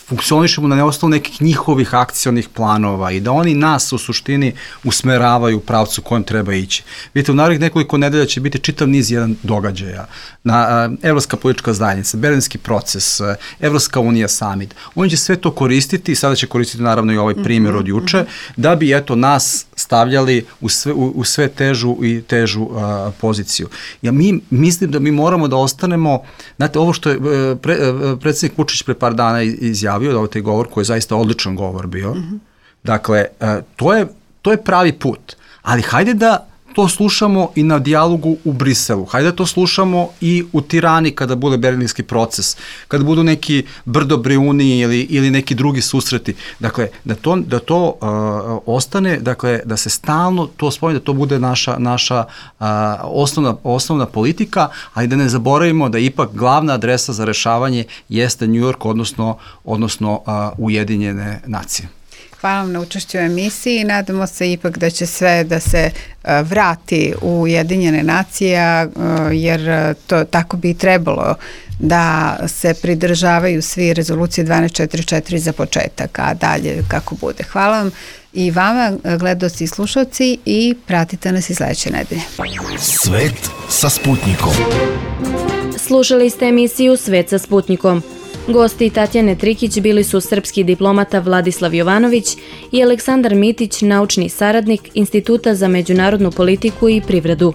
funkcionišemo na osnovu nekih njihovih akcionih planova i da oni nas u suštini usmeravaju u pravcu kojem treba ići. Vidite, u narednih nekoliko nedelja će biti čitav niz jedan događaja. Na, Evropska politička zajednica, Berlinski proces, Evropska unija summit. Oni će sve to koristiti i sada će koristiti naravno i ovaj primjer od juče, da bi eto nas stavljali u sve, u, u sve težu i težu uh, poziciju. Ja mi mislim da mi moramo da ostanemo, znate, ovo što je pre, predsjednik Vučić pre par dana izjavio, da ovo taj govor koji je zaista odličan govor bio. Mm-hmm. Dakle, to je, to je pravi put. Ali hajde da to slušamo i na dijalogu u Briselu. Hajde da to slušamo i u Tirani kada bude berlinski proces, kada budu neki Brdo-Briuni ili, ili neki drugi susreti. Dakle, da to, da to uh, ostane, dakle, da se stalno to spomene, da to bude naša, naša uh, osnovna, osnovna politika, ali da ne zaboravimo da ipak glavna adresa za rešavanje jeste New York, odnosno, odnosno uh, Ujedinjene nacije. Hvala vam na učešću u emisiji i nadamo se ipak da će sve da se uh, vrati u Ujedinjene nacije, uh, jer to tako bi trebalo da se pridržavaju svi rezolucije dvanaest četrdeset četiri za početak, a dalje kako bude. Hvala vam i vama, gledaoci i slušalci, i pratite nas i sledeće nedelje. Svet sa Sputnikom. Slušali ste emisiju Svet sa Sputnikom. Gosti Tatjane Trikić bili su srpski diplomata Vladislav Jovanović i Aleksandar Mitić, naučni saradnik Instituta za međunarodnu politiku i privredu.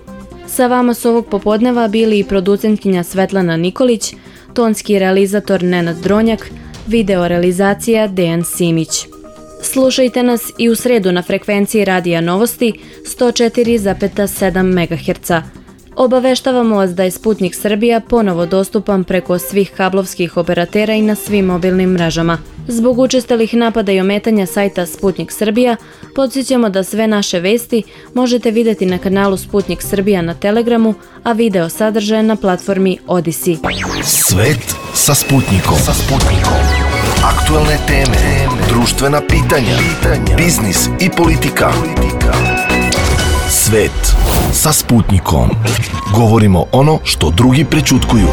Sa vama su ovog popodneva bili i producentkinja Svetlana Nikolić, tonski realizator Nenad Dronjak, video realizacija Dejan Simić. Slušajte nas i u sredu na frekvenciji Radija Novosti sto četiri zarez sedam megaherca. Obaveštavamo vas da je Sputnik Srbija ponovo dostupan preko svih kablovskih operatera i na svim mobilnim mrežama. Zbog učestalih napada i ometanja sajta Sputnik Srbija, podsjećamo da sve naše vesti možete vidjeti na kanalu Sputnik Srbija na Telegramu, a video sadržaje na platformi Odisi. Svet sa Sputnikom. Sa Sputnikom. Aktualne teme, društvena pitanja, biznis i politika. Svet sa Sputnikom. Govorimo ono što drugi prećutkuju.